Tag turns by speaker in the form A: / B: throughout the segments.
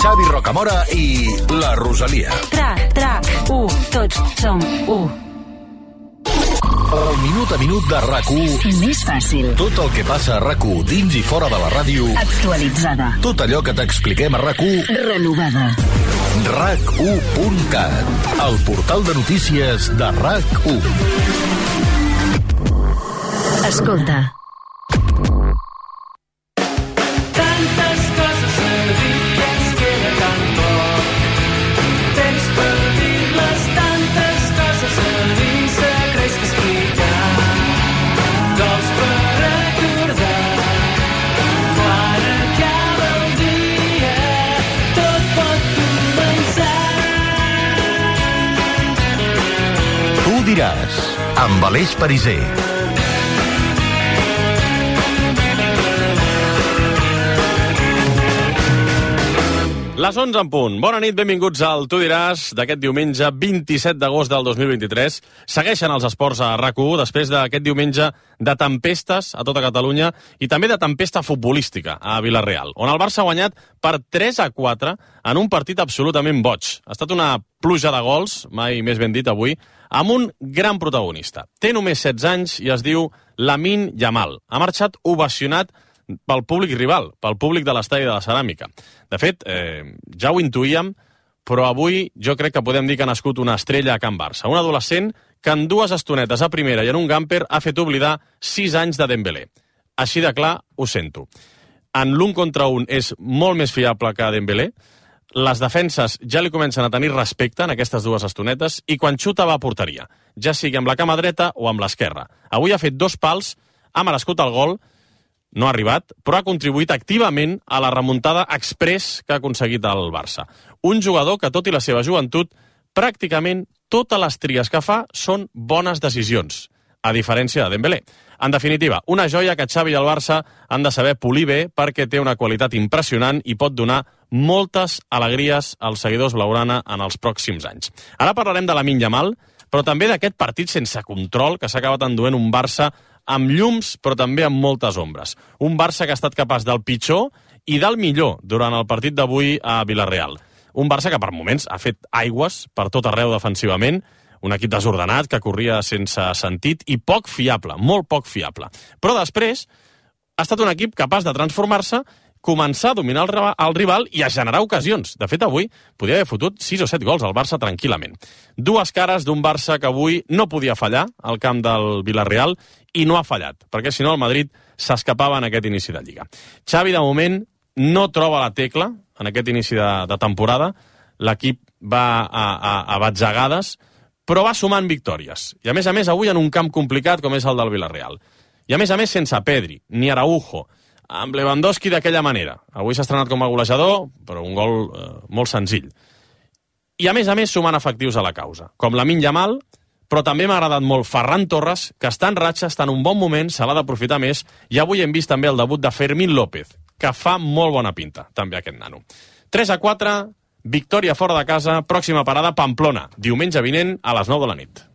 A: Xavi Rocamora i la Rosalia.
B: Tots som u.
A: El minut a minut de RAC1.
B: Més fàcil.
A: Tot el que passa a RAC1 dins i fora de la ràdio.
B: Actualitzada.
A: Tot allò que t'expliquem a RAC1.
B: Renovada.
A: RAC1.cat, el portal de notícies de RAC1.
B: Escolta.
C: Tantes coses a dir que ens queda tan poc. Temps per dir-les, tantes coses a dir, secrets que explicar, gols per recordar. Quan acaba el dia, tot pot començar.
A: Tu diràs, amb Aleix Pariser.
D: Les 11 en punt. Bona nit, benvinguts al Tu diràs d'aquest diumenge 27 d'agost del 2023. Segueixen els esports a RAC1 després d'aquest diumenge de tempestes a tota Catalunya i també de tempesta futbolística a Vila-real, on el Barça ha guanyat per 3-4 en un partit absolutament boig. Ha estat una pluja de gols, mai més ben dit avui, amb un gran protagonista. Té només 16 anys i es diu Lamine Yamal. Ha marxat ovacionat pel públic rival, pel públic de l'estadi de la Ceràmica. De fet, ja ho intuïem, però avui jo crec que podem dir que ha nascut una estrella a Can Barça. Un adolescent que en 2 estonetes a primera i en un gamper ha fet oblidar 6 anys de Dembélé. Així de clar, ho sento. En l'1 contra 1 és molt més fiable que Dembélé. Les defenses ja li comencen a tenir respecte en aquestes 2 estonetes i quan xuta va a porteria, ja sigui amb la cama dreta o amb l'esquerra. Avui ha fet 2 pals, ha merescut el gol, no ha arribat, però ha contribuït activament a la remuntada express que ha aconseguit el Barça. Un jugador que, tot i la seva joventut, pràcticament totes les tries que fa són bones decisions, a diferència de Dembélé. En definitiva, una joia que Xavi i el Barça han de saber polir bé perquè té una qualitat impressionant i pot donar moltes alegries als seguidors blaugrana en els pròxims anys. Ara parlarem de Lamine Yamal, però també d'aquest partit sense control que s'ha acabat enduent un Barça amb llums, però també amb moltes ombres. Un Barça que ha estat capaç del pitjor i del millor durant el partit d'avui a Vila-real. Un Barça que per moments ha fet aigües per tot arreu defensivament, un equip desordenat que corria sense sentit i poc fiable, molt poc fiable. Però després ha estat un equip capaç de transformar-se, començar a dominar el rival i a generar ocasions. De fet, avui podia haver fotut 6 o 7 gols al Barça tranquil·lament. 2 cares d'un Barça que avui no podia fallar al camp del Vila-real i no ha fallat, perquè si no el Madrid s'escapava en aquest inici de Lliga. Xavi, de moment, no troba la tecla en aquest inici de temporada. L'equip va a batzegades, però va sumant victòries. I a més, avui en un camp complicat com és el del Vila-real. I a més, sense Pedri, ni Araujo, amb Lewandowski d'aquella manera. Avui s'ha estrenat com a golejador, però un gol molt senzill. I a més, sumant efectius a la causa, com Lamine Yamal, però també m'ha agradat molt Ferran Torres, que està en ratxa, està en un bon moment, se l'ha d'aprofitar més, i avui hem vist també el debut de Fermín López, que fa molt bona pinta, també aquest nano. 3-4, victòria fora de casa, pròxima parada Pamplona, diumenge vinent a les 9 de la nit.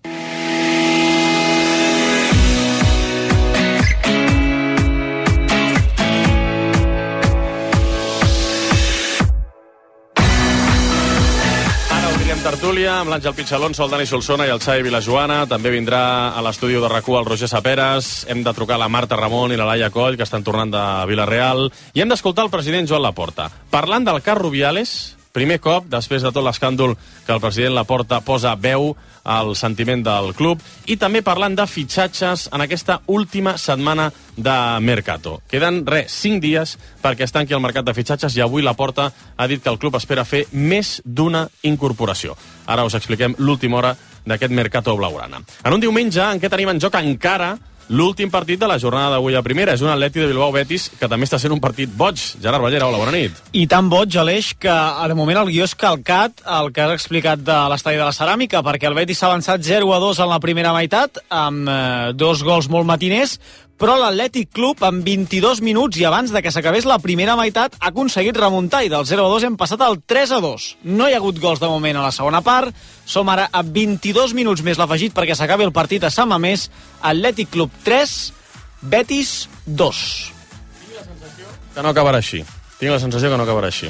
D: Tertúlia, amb l'Àngel Pichalonso, el Dani Solsona i el Xavi Vilajoana. També vindrà a l'estudi de RAC1 el Roger Saperas. Hem de trucar a la Marta Ramon i la Laia Coll, que estan tornant de Vila-real. I hem d'escoltar el president Joan Laporta. Parlant del cas Rubiales, primer cop, després de tot l'escàndol que el president Laporta posa veu al sentiment del club, i també parlant de fitxatges en aquesta última setmana de Mercato. Queden 5 dies perquè es tanqui el mercat de fitxatges i avui Laporta ha dit que el club espera fer més d'una incorporació. Ara us expliquem l'última hora d'aquest Mercato blaugrana. En un diumenge en què tenim en joc encara l'últim partit de la jornada d'avui a primera. És un Atleti de Bilbao-Betis que també està sent un partit boig. Gerard Ballera, hola, bona nit.
E: I tan boig, Aleix, que de moment el guió és calcat el que has explicat de l'estadi de la Ceràmica, perquè el Betis s'ha avançat 0-2 en la primera meitat, amb 2 gols molt matiners, però l'Atlètic Club, en 22 minuts i abans de que s'acabés la primera meitat, ha aconseguit remuntar i del 0-2 hem passat al 3-2. No hi ha hagut gols de moment a la segona part. Som ara a 22 minuts més l'afegit perquè s'acabi el partit a Sant Mamés. Atlètic Club 3, Betis 2.
D: Tinc la sensació que no acabarà així.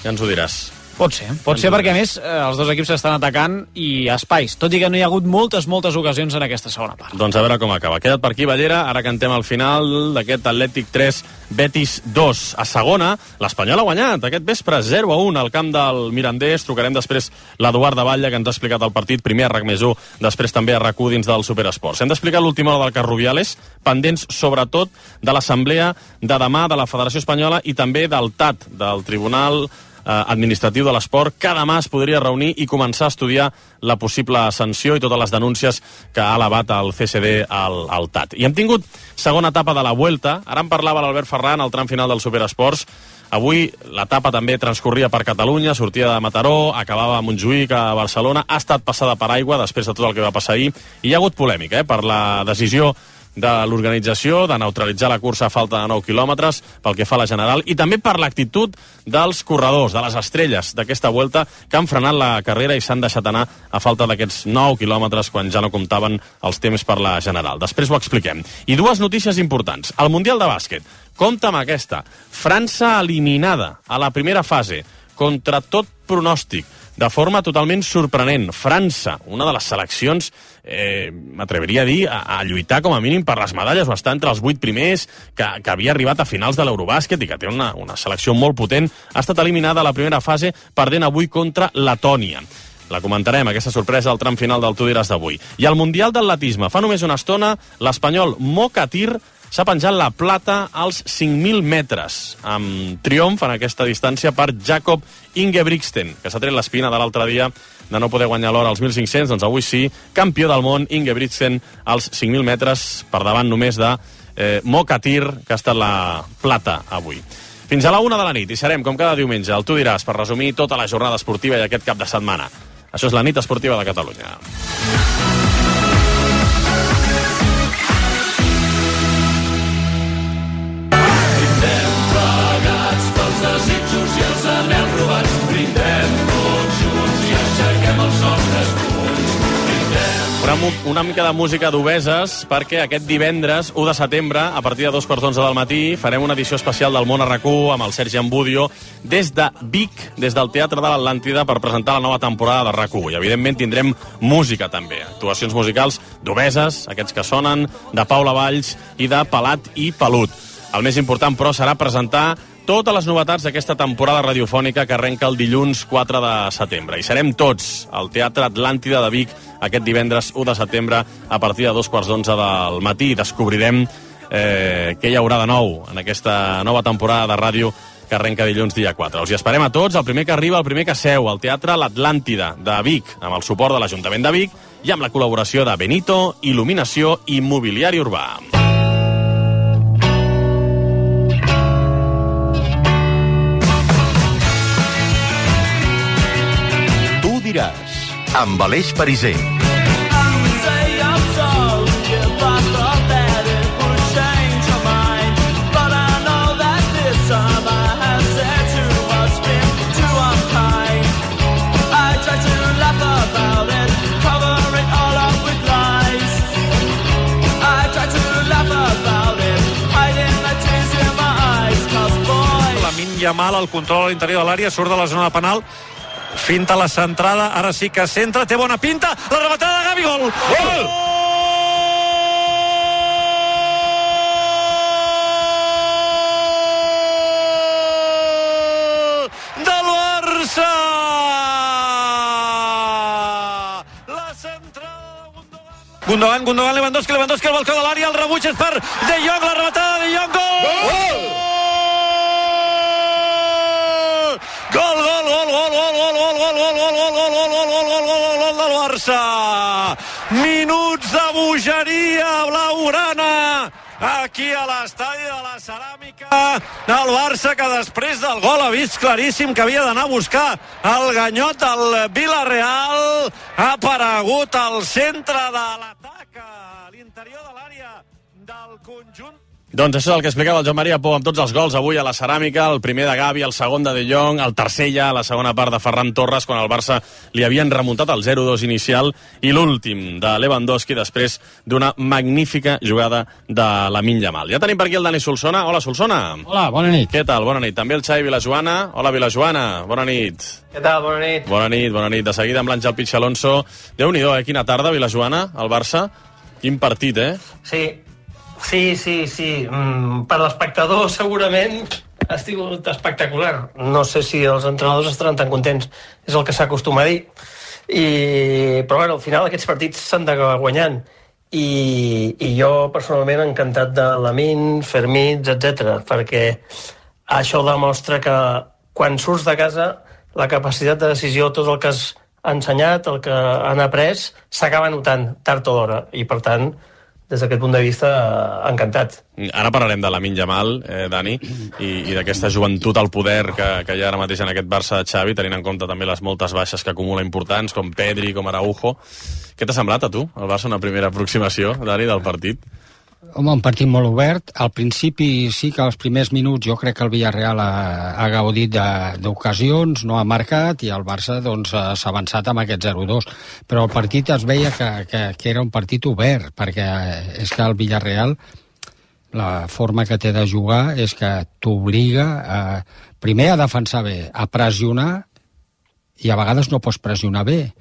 D: Ja ens ho diràs.
E: Pot ser perquè a més els dos equips estan atacant i espais, tot i que no hi ha hagut moltes ocasions en aquesta segona part.
D: Doncs a veure com acaba. Queda't per aquí, Ballera, ara cantem al final d'aquest Atlètic 3, Betis 2. A segona, l'Espanyol ha guanyat aquest vespre 0-1 al camp del Mirandés. Trucarem després l'Eduard de Batlle, que ens ha explicat el partit, primer a RAC+1, després també a RAC1 dins del Superesports. Hem d'explicar l'última hora del cas Rubiales, pendents sobretot de l'assemblea de demà de la Federació Espanyola i també del TAT, del Tribunal Administratiu de l'Esport, que demà es podria reunir i començar a estudiar la possible sanció i totes les denúncies que ha elevat el CSD al TAT. I hem tingut segona etapa de la Vuelta. Ara en parlava l'Albert Ferran al tram final del Superesports. Avui l'etapa també transcorria per Catalunya, sortia de Mataró, acabava a Montjuïc, a Barcelona, ha estat passada per aigua després de tot el que va passar ahir, i hi ha hagut polèmica per la decisió de l'organització de neutralitzar la cursa a falta de 9 quilòmetres pel que fa a la general, i també per l'actitud dels corredors, de les estrelles d'aquesta Vuelta, que han frenat la carrera i s'han deixat anar a falta d'aquests 9 quilòmetres quan ja no comptaven els temps per la general. Després ho expliquem. I dues notícies importants. El Mundial de Bàsquet. Compte amb aquesta. França eliminada a la primera fase, contra tot pronòstic, de forma totalment sorprenent. França, una de les seleccions, m'atreviria a dir, a lluitar com a mínim per les medalles, o estar entre els 8 primers, que havia arribat a finals de l'Eurobàsquet i que té una selecció molt potent, ha estat eliminada a la primera fase, perdent avui contra Letònia. La comentarem, aquesta sorpresa al tram final del Tu diràs d'avui. I al Mundial d'Atletisme, fa només una estona, l'espanyol Mokatir s'ha penjat la plata als 5.000 metres, amb triomf en aquesta distància per Jakob Ingebrigtsen, que s'ha tret l'espina de l'altre dia de no poder guanyar l'hora als 1.500, doncs avui sí, campió del món, Ingebrigtsen als 5.000 metres, per davant només de Mokatir, que ha estat la plata avui. Fins a la 1 de la nit, i serem, com cada diumenge, al Tu diràs, per resumir tota la jornada esportiva i aquest cap de setmana. Això és la nit esportiva de Catalunya.
C: Desitjos i els anels robats, brindem tots junts i aixequem els nostres punys.
D: Una mica de música d'obeses, perquè aquest divendres 1 de setembre, a partir de 2:15 del matí, farem una edició especial del Món a RAC1 amb el Sergi Ambudio des de Vic, des del Teatre de l'Atlàntida, per presentar la nova temporada de RAC1. I evidentment tindrem música també, actuacions musicals d'obeses, aquests que sonen, de Paula Valls i de Pelat i Pelut. El més important, però, serà presentar totes les novetats d'aquesta temporada radiofònica que arrenca el dilluns 4 de setembre. I serem tots al Teatre Atlàntida de Vic aquest divendres 1 de setembre a partir de 2:15 del matí. Descobrirem què hi haurà de nou en aquesta nova temporada de ràdio que arrenca dilluns dia 4. Els hi esperem a tots, el primer que arriba, el primer que seu, al Teatre l'Atlàntida de Vic, amb el suport de l'Ajuntament de Vic i amb la col·laboració de Benito, Il·luminació i Mobiliari Urbà.
A: amb Aleix Pariser.
F: Lamine Yamal al control a l'interior de l'àrea, surt de la zona penal, finta la centrada, ara sí que centra, té bona pinta, la rematada de Gavi, gol! Gol! Del Barça! La centrada de Gundogan, Lewandowski, al balcó de l'àrea, el rebuig és per De Jong, la rematada de De Jong, gol! Gol del Barça. Minuts de bogeria blaugrana aquí a l'estadi de la Ceràmica. El Barça, que després del gol ha vist claríssim que havia d'anar a buscar el ganyot del Villarreal, ha aparegut al centre de l'atac a l'interior de l'àrea del conjunt
D: Doncs això és el que explicava el Joan Maria Pou amb tots els gols avui a la Ceràmica, el primer de Gavi, el segon de De Jong, el tercer ja a la segona part de Ferran Torres, quan el Barça li havien remuntat el 0-2 inicial, i l'últim de Lewandowski després d'una magnífica jugada de Lamine Yamal. Ja tenim per aquí el Dani Solsona. Hola, Solsona.
G: Hola, bona nit.
D: Què tal? Bona nit. També el Xavi Vilajoana. Hola, Vilajoana. Bona nit.
H: Què tal? Bona nit.
D: Bona nit, bona nit. De seguida amb l'Àngel Pitx Alonso. Déu-n'hi-do, quina tarda, Vilajoana, al Barça. Quin partit,
H: Sí. Per l'espectador segurament ha sigut espectacular. No sé si els entrenadors estaran tan contents, és el que s'acostuma a dir. Però bueno, al final aquests partits s'han d'acabar guanyant. I jo personalment encantat de Lamine, Fermín, etc, perquè això demostra que quan surts de casa la capacitat de decisió, tot el que has ensenyat, el que han après, s'acaba notant tard o d'hora. I per tant, des d'aquest punt de vista, encantat.
D: Ara parlarem de Lamine Yamal, Dani, i d'aquesta joventut al poder que hi ha ara mateix en aquest Barça de Xavi, tenint en compte també les moltes baixes que acumula importants, com Pedri, com Araujo. Què t'ha semblat a tu, el Barça, una primera aproximació, Dani, del partit?
G: Home, un partit molt obert. Al principi sí que als primers minuts jo crec que el Villarreal ha gaudit d'ocasions, no ha marcat, i el Barça s'ha avançat amb aquest 0-2. Però el partit es veia que era un partit obert, perquè és que el Villarreal, la forma que té de jugar és que t'obliga primer a defensar bé, a pressionar, i a vegades no pots pressionar bé,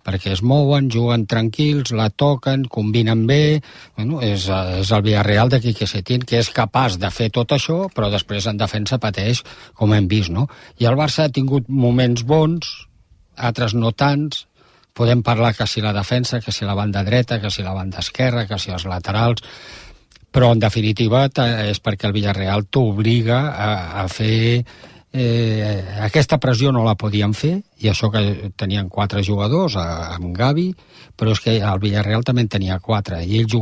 G: perquè es mouen, juguen tranquils, la toquen, combinen bé. Bueno, és el Villarreal de Quique Setién, que és capaç de fer tot això, però després en defensa pateix, com hem vist, no? I el Barça ha tingut moments bons, altres no tants. Podem parlar que si la defensa, que si la banda dreta, que si la banda esquerra, que si els laterals, però en definitiva és perquè el Villarreal t'obliga a fer... aquesta pressió no la podien fer, i això que tenien 4 jugadors amb Gavi, però és que el Villarreal també en tenia 4, i ells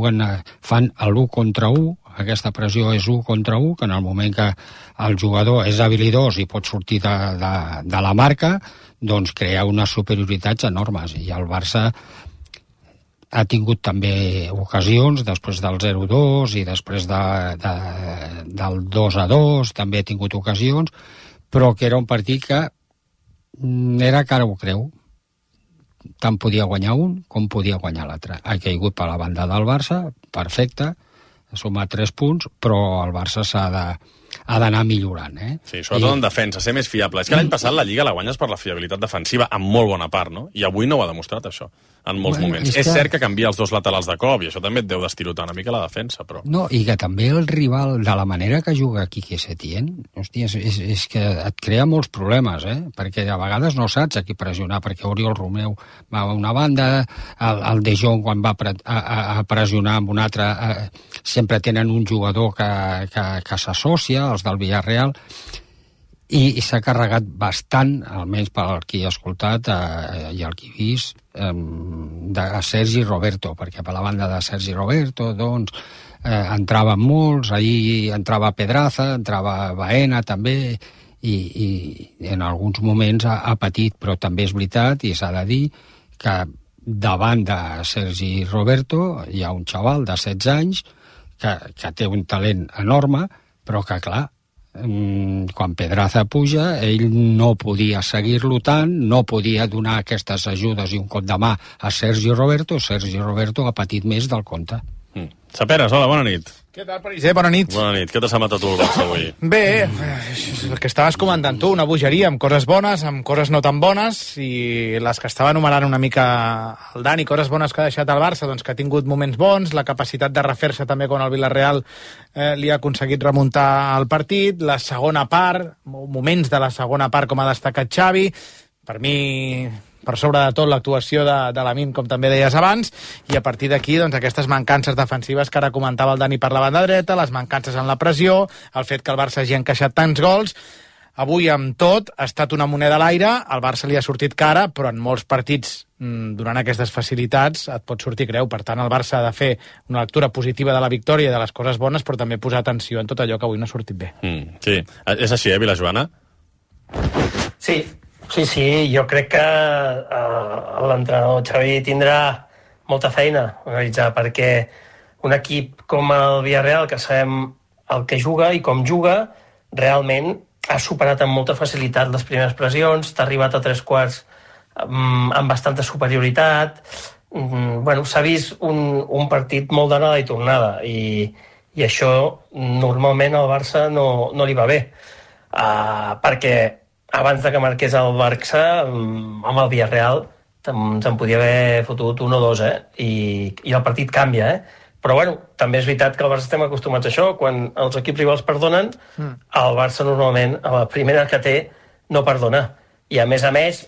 G: fan l'1 contra 1, aquesta pressió és 1 contra 1, que en el moment que el jugador és habilidós i pot sortir de la marca, doncs crea unes superioritats enormes, i el Barça ha tingut també ocasions després del 0-2 i després del 2-2, també ha tingut ocasions, però que era un partit que era cara o creu. Tant podia guanyar un com podia guanyar l'altre. Ha caigut per la banda del Barça, perfecte, ha sumat 3 punts, però el Barça ha d'anar millorant.
D: Sí, sobretot en defensa, ser més fiable. És que l'any passat la Lliga la guanyes per la fiabilitat defensiva en molt bona part, no? I avui no ho ha demostrat, això, en molts moments. És cert que canvia els 2 laterals de cop, i això també et deu d'estirotar una mica la defensa, però...
G: No, i que també el rival, de la manera que juga Quique Setién, hòstia, és que et crea molts problemes, perquè a vegades no saps a qui pressionar, perquè Oriol Romeu va a una banda, el De Jong quan va a pressionar amb un altre, sempre tenen un jugador que s'associa, els del Villarreal, i s'ha carregat bastant, almenys per qui ha escoltat i el qui ha vist, de Sergi Roberto, perquè per la banda de Sergi Roberto entraven molts, ahir entrava Pedraza, entrava Baena també, i en alguns moments ha patit, però també és veritat i s'ha de dir que davant de Sergi Roberto hi ha un xaval de 16 anys que té un talent enorme, però que clar, quan Pedraza puja, ell no podia seguir-lo tant, no podia donar aquestes ajudes i un cop de mà a Sergi Roberto ha patit més del compte.
D: Saperes, hola, bona nit.
I: Què tal, Pariser? Bona nit.
D: Bona nit. Què t'ha semblat a tu el Barça avui?
I: Bé, el que estaves comentant tu, una bogeria amb coses bones, amb coses no tan bones, i les que estava enumerant una mica el Dani, coses bones que ha deixat el Barça, doncs que ha tingut moments bons, la capacitat de refer-se també quan el Villarreal li ha aconseguit remuntar el partit, la segona part, moments de la segona part com ha destacat Xavi, per mi... per sobre de tot l'actuació de Lamine, com també deies abans, i a partir d'aquí doncs, aquestes mancances defensives que ara comentava el Dani per la banda dreta, les mancances en la pressió, el fet que el Barça hagi encaixat tants gols. Avui, amb tot, ha estat una moneda a l'aire, al Barça li ha sortit cara, però en molts partits, donant aquestes facilitats, et pot sortir greu. Per tant, el Barça ha de fer una lectura positiva de la victòria i de les coses bones, però també posar atenció en tot allò que avui no ha sortit bé.
D: Sí, és així, Vilajoana?
H: Sí, jo crec que l'entrenador Xavi tindrà molta feina a realitzar, perquè un equip com el Villarreal, que sabem el que juga i com juga, realment ha superat amb molta facilitat les primeres pressions, t'ha arribat a 3/4 amb bastanta superioritat. Bueno, s'ha vist un partit molt d'anada i tornada, i això normalment al Barça no li va bé, perquè abans de que marqués el Barça, amb el Villarreal se'n podia haver fotut 1 o 2, i el partit canvia, Però, bueno, també és veritat que al Barça estem acostumats a això. Quan els equips rivals perdonen, el Barça normalment, a la primera que té, no perdona. I, a més,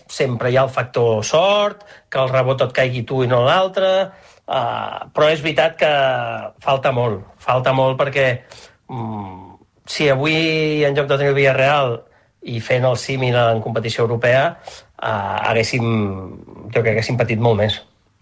H: sempre hi ha el factor sort, que el rebot et caigui tu i no l'altre, però és veritat que falta molt perquè si avui, en lloc de tenir el Villarreal i fent el símil en competició europea, jo crec que haguéssim patit molt més.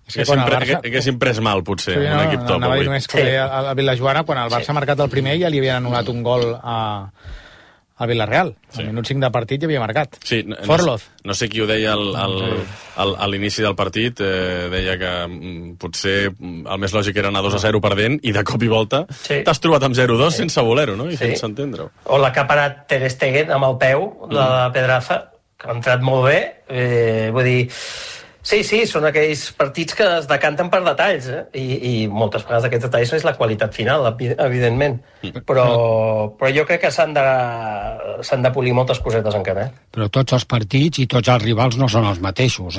D: Haguéssim pres mal, potser, un equip top
I: avui.
D: Només
I: que a Vilajoana, quan el Barça ha marcat el primer, ja li havien anul·lat un gol a Villarreal. Al minut 5 de partit ja havia marcat.
D: Sí,
I: Forloz.
D: No sé qui ho deia a l'inici del partit, deia que potser el més lògic era anar 2-0 perdent, i de cop i volta t'has trobat amb 0-2 sense voler-ho, no? I sense entendre-ho.
H: O la que ha parat Ter Stegen amb el peu, la Pedraza, que ha entrat molt bé, vull dir... Sí, són aquells partits que es decanten per detalls, i moltes vegades aquests detalls és la qualitat final, evidentment. Però jo crec que s'han de polir moltes cosetes encara.
G: Però tots els partits i tots els rivals no són els mateixos,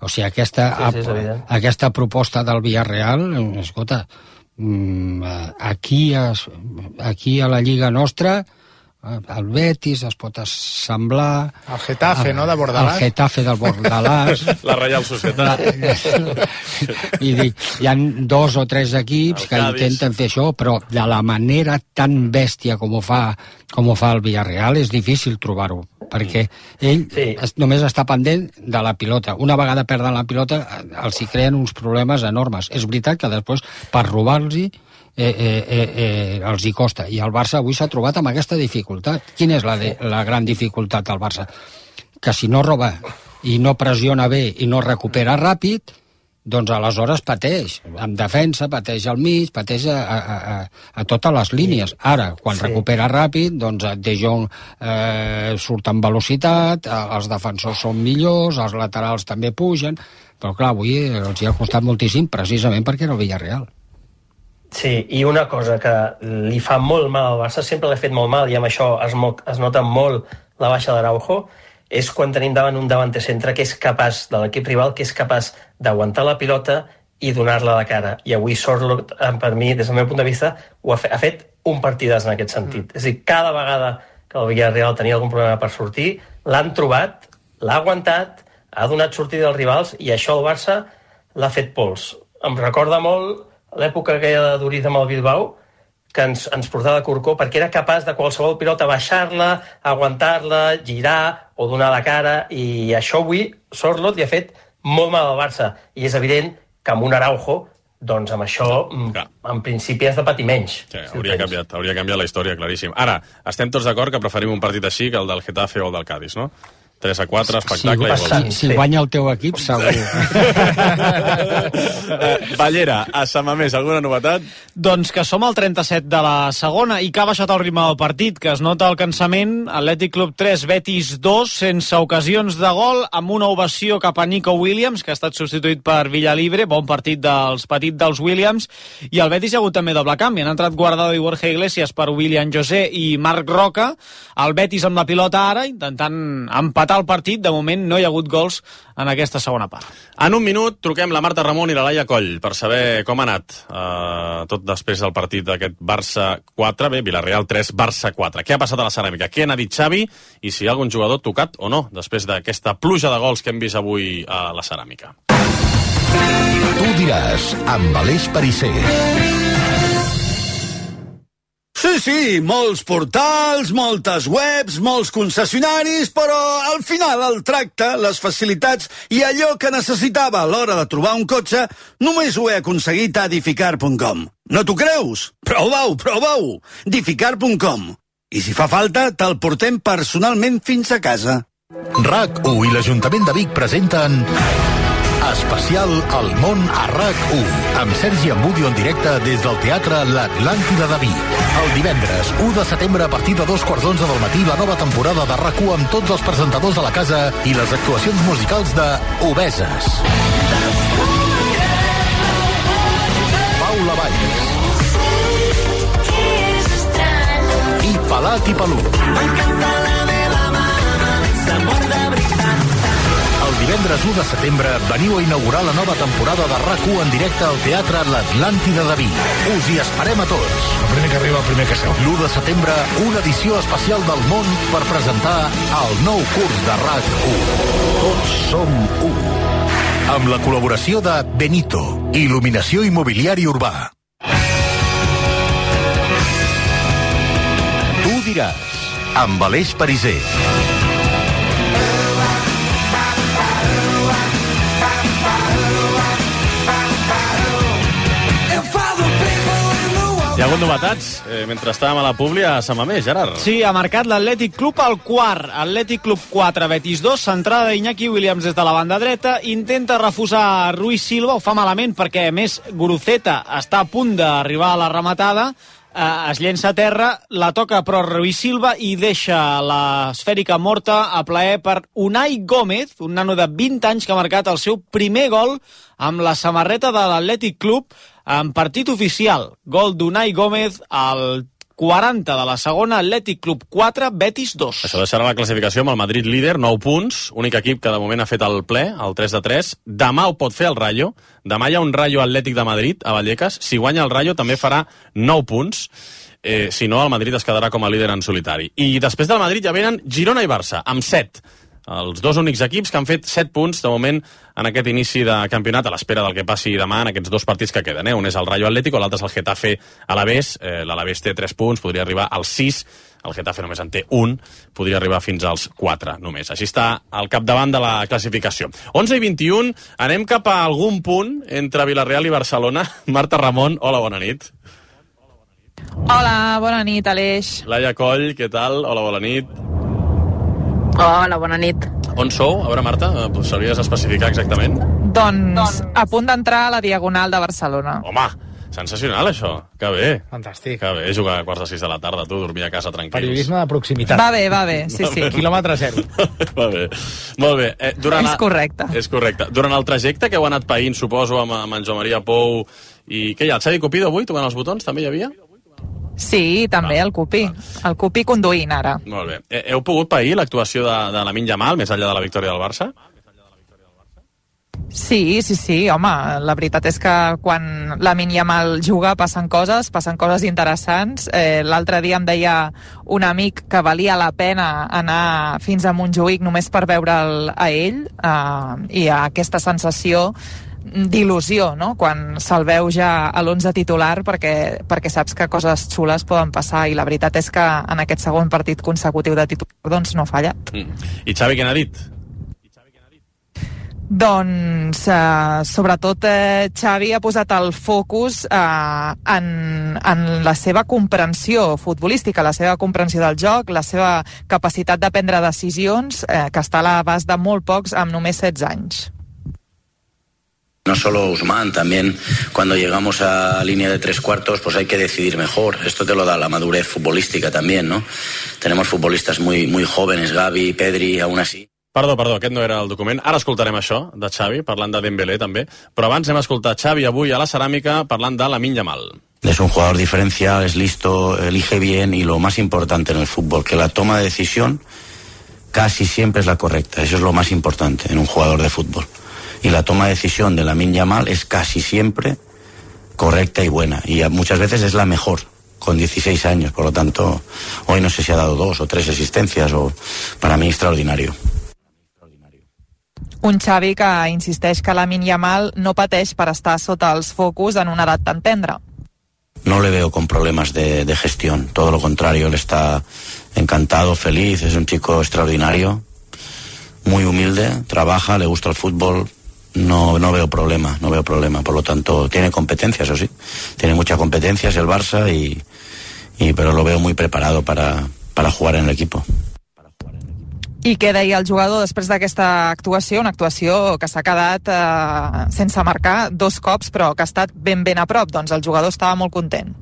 G: O sigui, aquesta proposta del Villarreal, escolta, aquí a la Lliga nostra, el Betis es pot assemblar...
I: El Getafe, no?, de Bordalàs.
G: El Getafe del Bordalàs.
D: La Reial Societat.
G: Hi ha 2 o 3 equips que intenten fer això, però de la manera tan bèstia com ho fa el Villarreal és difícil trobar-ho, perquè ell només està pendent de la pilota. Una vegada perden la pilota, els hi creen uns problemes enormes. És veritat que després, per robar-los-hi, els hi costa, i el Barça avui s'ha trobat amb aquesta dificultat. Quina és la gran dificultat del Barça? Que si no roba i no pressiona bé i no recupera ràpid, doncs aleshores pateix. En defensa, pateix al mig, pateix a totes les línies. Ara, quan recupera ràpid, doncs De Jong surt amb velocitat, els defensors són millors, els laterals també pugen, però clar, avui els hi ha costat moltíssim precisament perquè era el Villarreal.
H: Sí, i una cosa que li fa molt mal al Barça, sempre l'ha fet molt mal, i amb això es nota molt la baixa d'Araujo, és quan tenim davant un davanter centre que és capaç, de l'equip rival, que és capaç d'aguantar la pilota i donar-la a la cara. I avui Sorloth, per mi, des del meu punt de vista, ha fet un partidàs en aquest sentit. És a dir, cada vegada que el Villarreal tenia algun problema per sortir, l'han trobat, l'ha aguantat, ha donat sortida als rivals, i això el Barça l'ha fet pols. Em recorda molt l'època aquella de Duriz amb el Bilbao, que ens portava de corcó, perquè era capaç de qualsevol pilota baixar-la, aguantar-la, girar o donar la cara, i això avui Sorloth li ha fet molt mal al Barça, i és evident que amb un Araujo, doncs amb això en principi has de patir menys.
D: Sí, hauria canviat la història, claríssim. Ara, estem tots d'acord que preferim un partit així que el del Getafe o el del Cádiz, no? 3-4, espectacle.
G: Si guanya el teu equip, segur.
D: Ballera, a Samamés, alguna novetat?
E: Doncs que som al 37 de la segona i que ha baixat el ritme del partit, que es nota el cansament. Atlètic Club 3, Betis 2, sense ocasions de gol, amb una ovació cap a Nico Williams, que ha estat substituït per Villalibre. Bon partit dels petits dels Williams. I el Betis ha hagut també doble canvi. Han entrat Guardado i Borja Iglesias per William José i Marc Roca. El Betis amb la pilota ara, intentant empatar el partit. De moment no hi ha hagut gols en aquesta segona part.
D: En un minut truquem la Marta Ramon i la Laia Coll per saber com ha anat tot després del partit d'aquest Barça 4, Villarreal 3, Barça 4. Què ha passat a la Ceràmica? Què n'ha dit Xavi? I si hi ha algun jugador tocat o no després d'aquesta pluja de gols que hem vist avui a la Ceràmica.
A: Tu diràs, amb Aleix Perisser.
J: Sí, molts portals, moltes webs, molts concessionaris, però al final el tracte, les facilitats i allò que necessitava a l'hora de trobar un cotxe només ho he aconseguit a Edificar.com. No t'ho creus? Prova-ho! Edificar.com. I si fa falta, te'l portem personalment fins a casa.
A: RAC1 i l'Ajuntament de Vic presenten Especial El món a RAC1, amb Sergi Ambudio en directe des del Teatre L'Atlàntida de Vic. El divendres 1 de setembre a partir de 2:15 del matí la nova temporada de RAC1 amb tots els presentadors de la casa i les actuacions musicals de Obeses. Paula Valls i Pelat i Pelut. El divendres 1 de setembre veniu a inaugurar la nova temporada de RAC1 en directe al Teatre L'Atlàntida de Vic. Us hi esperem a tots.
K: El primer que arriba, el primer que seu.
A: L'1 de setembre, una edició especial del món per presentar el nou curs de RAC1. Tots som u. Amb la col·laboració de Benito, il·luminació immobiliari urbà. Tu diràs, amb Aleix Pariser.
D: Hi ha hagut novetats mentre estàvem a la Publi a Sant Mamés, Gerard.
E: Sí, ha marcat l'Atlètic Club al quart. Atlètic Club 4, Betis 2, centrada d'Iñaki Williams des de la banda dreta. Intenta refusar Ruiz Silva, ho fa malament perquè, a més, Guruceta està a punt d'arribar a la rematada. Es llença a terra, la toca però Ruiz Silva i deixa l'esfèrica morta a plaer per Unai Gómez, un nano de 20 anys que ha marcat el seu primer gol amb la samarreta de l'Atlètic Club en partit oficial. Gol d'Unai Gómez al 40 de la segona, Atlètic Club 4, Betis 2.
D: Això deixarà la classificació amb el Madrid líder, 9 punts, únic equip que de moment ha fet el ple, el 3-3. Demà ho pot fer el Rayo. Demà hi ha un Rayo Atlètic de Madrid a Vallecas. Si guanya el Rayo també farà 9 punts. Si no, el Madrid es quedarà com a líder en solitari. I després del Madrid ja venen Girona i Barça, amb 7. Els dos únics equips que han fet 7 punts de moment en aquest inici de campionat, a l'espera del que passi demà en aquests dos partits que queden. Un és el Rayo Atlético, l'altre és el Getafe Alavés. L'Alavés té 3 punts, podria arribar als 6. El Getafe només en té 1, podria arribar fins als 4 només. Així està al capdavant de la classificació. 11 i 21, anem cap a algun punt entre Vilareal i Barcelona. Marta Ramon, hola, bona nit.
L: Hola, bona nit, Aleix.
D: Laia Coll, què tal? Hola, bona nit.
L: Hola, bona nit.
D: On sou? A veure, Marta, sabries especificar exactament?
L: Doncs a punt d'entrar a la Diagonal de Barcelona.
D: Home, sensacional, això. Que bé.
I: Fantàstic.
D: Que bé, jugar a quarts de 6 de la tarda, tu, dormir a casa tranquils.
I: Periodisme de proximitat.
L: Va bé, sí, sí.
I: Quilòmetre zero.
D: Va bé. Molt bé.
L: És correcte.
D: És correcte. Durant el trajecte que heu anat païnt, suposo, amb en Joan Maria Pou, i què hi ha, el Xavi Cupido avui, tocant els botons, també hi havia?
L: Sí, també el Cupi. El Cupi conduint, ara.
D: Molt bé. Heu pogut pair l'actuació de Lamine Yamal, més enllà de la victòria del Barça?
L: Sí, home, la veritat és que quan Lamine Yamal juga passen coses interessants. L'altre dia em deia un amic que valia la pena anar fins a Montjuïc només per veure'l a ell, i aquesta sensació d'il·lusió, no?, quan se'l veu ja a l'11 titular, perquè saps que coses xules poden passar, i la veritat és que en aquest segon partit consecutiu de titular doncs no ha fallat.
D: I Xavi què n'ha dit?
L: Doncs, sobretot, Xavi ha posat el focus en la seva comprensió futbolística, la seva comprensió del joc, la seva capacitat de prendre decisions, que està a l'abast de molt pocs amb només 16 anys.
M: No solo Ousmane, también cuando llegamos a línea de 3/4 pues hay que decidir mejor. Esto te lo da la madurez futbolística también, ¿no? Tenemos futbolistas muy jóvenes, Gavi, Pedri, aún así.
D: Perdó, aquest no era el document. Ara escoltarem això de Xavi, parlant de Dembélé també, però abans hem escoltat Xavi avui a la Ceràmica parlant de Lamine Yamal.
M: Es un jugador diferencial, es listo, elige bien, y lo más importante en el fútbol, que la toma de decisión casi siempre es la correcta. Eso es lo más importante en un jugador de fútbol. Y la toma de decisión de Lamine Yamal es casi siempre correcta y buena, y muchas veces es la mejor, con 16 años. Por lo tanto, hoy no sé si ha dado 2 o 3 asistencias, o para mí extraordinario.
L: Un Xavi que insisteix que Lamine Yamal no pateix per estar sota els focus en una edat tan tendra.
M: No le veo con problemas de gestión, todo lo contrario, él está encantado, feliz, es un chico extraordinario, muy humilde, trabaja, le gusta el fútbol. No veo problema, por lo tanto tiene competencias, eso sí, tiene muchas competencias el Barça, pero lo veo muy preparado para jugar en el equipo.
L: I què deia el jugador després d'aquesta actuació? Una actuació que s'ha quedat sense marcar 2 cops, però que ha estat ben a prop. Doncs el jugador estava molt content.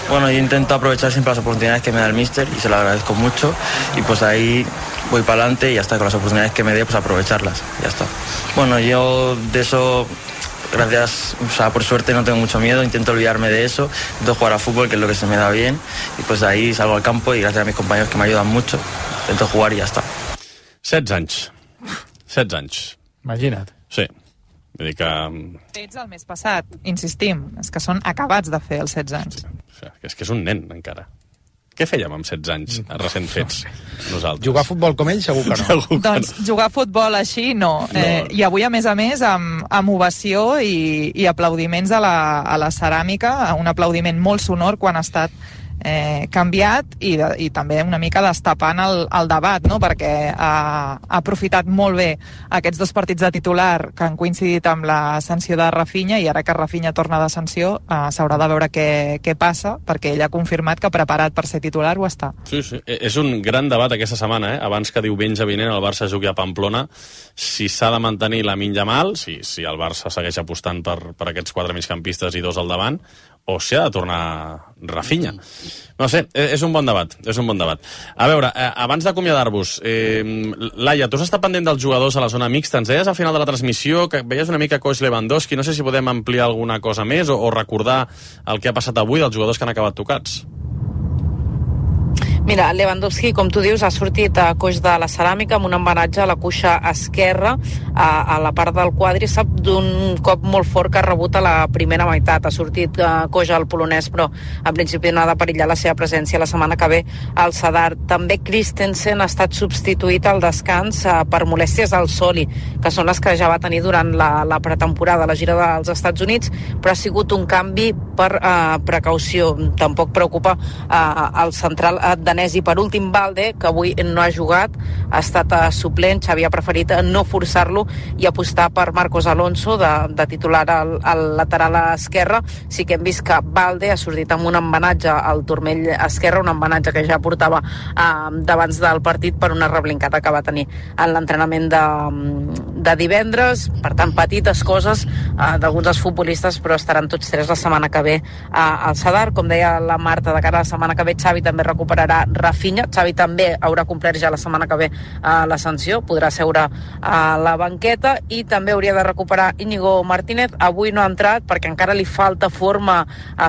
K: Bueno, yo intento aprovechar siempre las oportunidades que me da el míster y se lo agradezco mucho, y pues ahí voy para adelante y ya está, con las oportunidades que me dé, pues aprovecharlas, ya está. Bueno, yo de eso, gracias, o sea, por suerte no tengo mucho miedo, intento olvidarme de eso, intento jugar a fútbol, que es lo que se me da bien, y pues de ahí salgo al campo y gracias a mis compañeros que me ayudan mucho, intento jugar y ya está.
D: 16 anys. 16 anys.
I: Imagina't.
D: Sí. Vull dir que...
L: Fets el mes passat, insistim, és que són acabats de fer els 16 anys.
D: Sí, és que és un nen, encara. Què fèiem amb 16 anys recent fets, nosaltres?
I: Jugar a futbol com ell segur que no.
L: Doncs jugar a futbol així no. I avui, a més, amb ovació i aplaudiments a la ceràmica, un aplaudiment molt sonor quan ha estat canviat i també una mica destapant el debat, no? Perquè ha aprofitat molt bé aquests 2 partits de titular que han coincidit amb la sanció de Rafinha, i ara que Rafinha torna de sanció s'haurà de veure què passa, perquè ell ha confirmat que preparat per ser titular ho està.
D: Sí. És un gran debat aquesta setmana, abans que diumenge vinent el Barça jugui a Pamplona, si s'ha de mantenir Lamine Yamal, si el Barça segueix apostant per aquests 4 migcampistes i 2 al davant, o si ha de tornar Rafinha. No sé, és un bon debat, A veure, abans d'acomiadar-vos, Laia, tu has estat pendent dels jugadors a la zona mixta. Ens deies al final de la transmissió que veies una mica coix Lewandowski. No sé si podem ampliar alguna cosa més o recordar el que ha passat avui dels jugadors que han acabat tocats.
N: Mira, Lewandowski, com tu dius, ha sortit a coix de la ceràmica amb un embenatge a la cuixa esquerra, a la part del quàdriceps, d'un cop molt fort que ha rebut a la primera meitat. Ha sortit coix al polonès, però en principi no ha de perillar la seva presència la setmana que ve al Sadar. També Christensen ha estat substituït al descans per molèsties al soli, que són les que ja va tenir durant la pretemporada, la gira dels Estats Units, però ha sigut un canvi per precaució. Tampoc preocupa el central danès. I per últim, Balde, que avui no ha jugat, ha estat suplent. Xavi ha preferit no forçar-lo i apostar per Marcos Alonso de titular al lateral esquerre. Sí que hem vist que Balde ha sortit amb un embenatge al turmell esquerre, un embenatge que ja portava d'abans del partit per una reblincada que va tenir en l'entrenament de divendres. Per tant, petites coses d'alguns dels futbolistes, però estaran tots 3 la setmana que ve al Sadar. Com deia la Marta, de cara a la setmana que ve Xavi també recuperarà Rafinha. Xavi també haurà complert ja la setmana que ve la sanció, podrà seure a la banqueta, i també hauria de recuperar Íñigo Martínez. Avui no ha entrat perquè encara li falta forma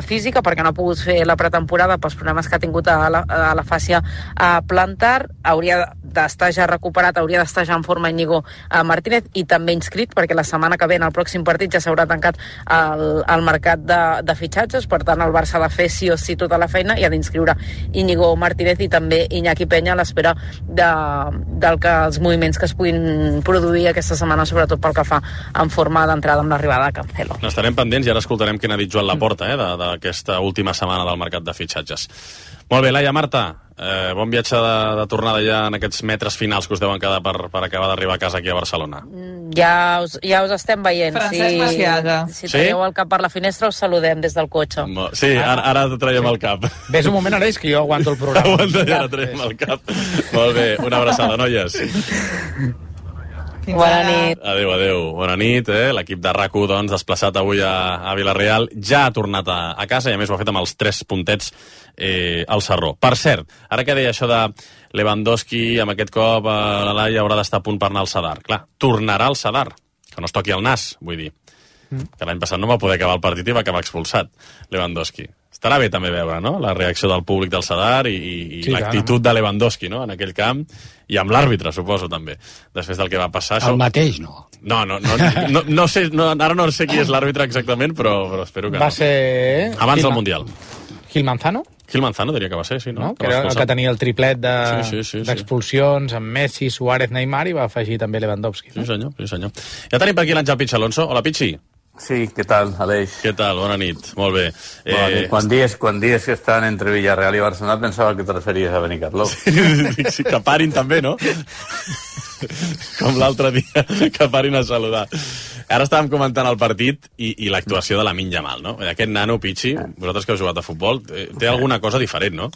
N: física, perquè no ha pogut fer la pretemporada pels problemes que ha tingut a la fàscia plantar. Hauria d'estar ja recuperat, hauria d'estar ja en forma Íñigo Martínez, i també inscrit, perquè la setmana que ve, en el pròxim partit, ja s'haurà tancat el mercat de fitxatges. Per tant, el Barça ha de fer sí o sí tota la feina i ha d'inscriure Íñigo Martínez i també Iñaki Peña, a l'espera dels moviments que es puguin produir aquesta setmana, sobretot pel que fa en forma d'entrada amb l'arribada de Cancelo.
D: N'estarem pendents i ara escoltarem què n'ha dit Joan Laporta d'aquesta última setmana del mercat de fitxatges. Molt bé, Laia, Marta, bon viatge de tornada ja en aquests metres finals que us deuen quedar per acabar d'arribar a casa aquí a Barcelona.
N: Ja us estem veient.
L: Francesc Maciaga.
N: Si traieu el cap per la finestra, us saludem des del cotxe.
D: Sí, ara traiem el cap.
I: Ves un moment, Aleix, que jo aguanto el programa.
D: Aguanta, ja traiem el cap. Molt bé, una abraçada, noies.
N: Bona nit.
D: Adéu. Bona nit. L'equip de RAC1, doncs, desplaçat avui a Vila-real, ja ha tornat a casa, i a més ho ha fet amb els 3 puntets al Sarró. Per cert, ara que deia això de Lewandowski, amb aquest cop la Laia haurà d'estar a punt per anar al Sadar. Clar, tornarà al Sadar, que no es toqui el nas, vull dir. Que l'any passat no va poder acabar el partit i va acabar expulsat, Lewandowski. Estarà bé també veure, no?, la reacció del públic del Sadar i sí, l'actitud de Lewandowski, no?, en aquell camp, i amb l'àrbitre, suposo, també, després del que va passar.
G: El mateix, no?
D: No sé, ara no sé qui és l'àrbitre exactament, però espero que no.
I: Va ser...
D: Abans del Mundial.
I: Gil Manzano?
D: Gil Manzano diria que va ser, sí, no?
I: Que era el que tenia el triplet d'expulsions amb Messi, Suárez, Neymar, i va afegir també Lewandowski.
D: Sí, senyor. Ja tenim per aquí l'Àngel Pichi Alonso. Hola, Pichi.
O: Sí, què tal, Aleix?
D: Què tal? Bona nit, molt bé.
O: Quan dies que estan entre Villarreal i Barcelona pensava que te referies a Benicarló.
D: Sí, que parin també, no? Com l'altre dia, que parin a saludar. Ara estàvem comentant el partit i l'actuació de Lamine Yamal, no? Aquest nano, Pichi, vosaltres que heu jugat a futbol, té alguna cosa diferent, no?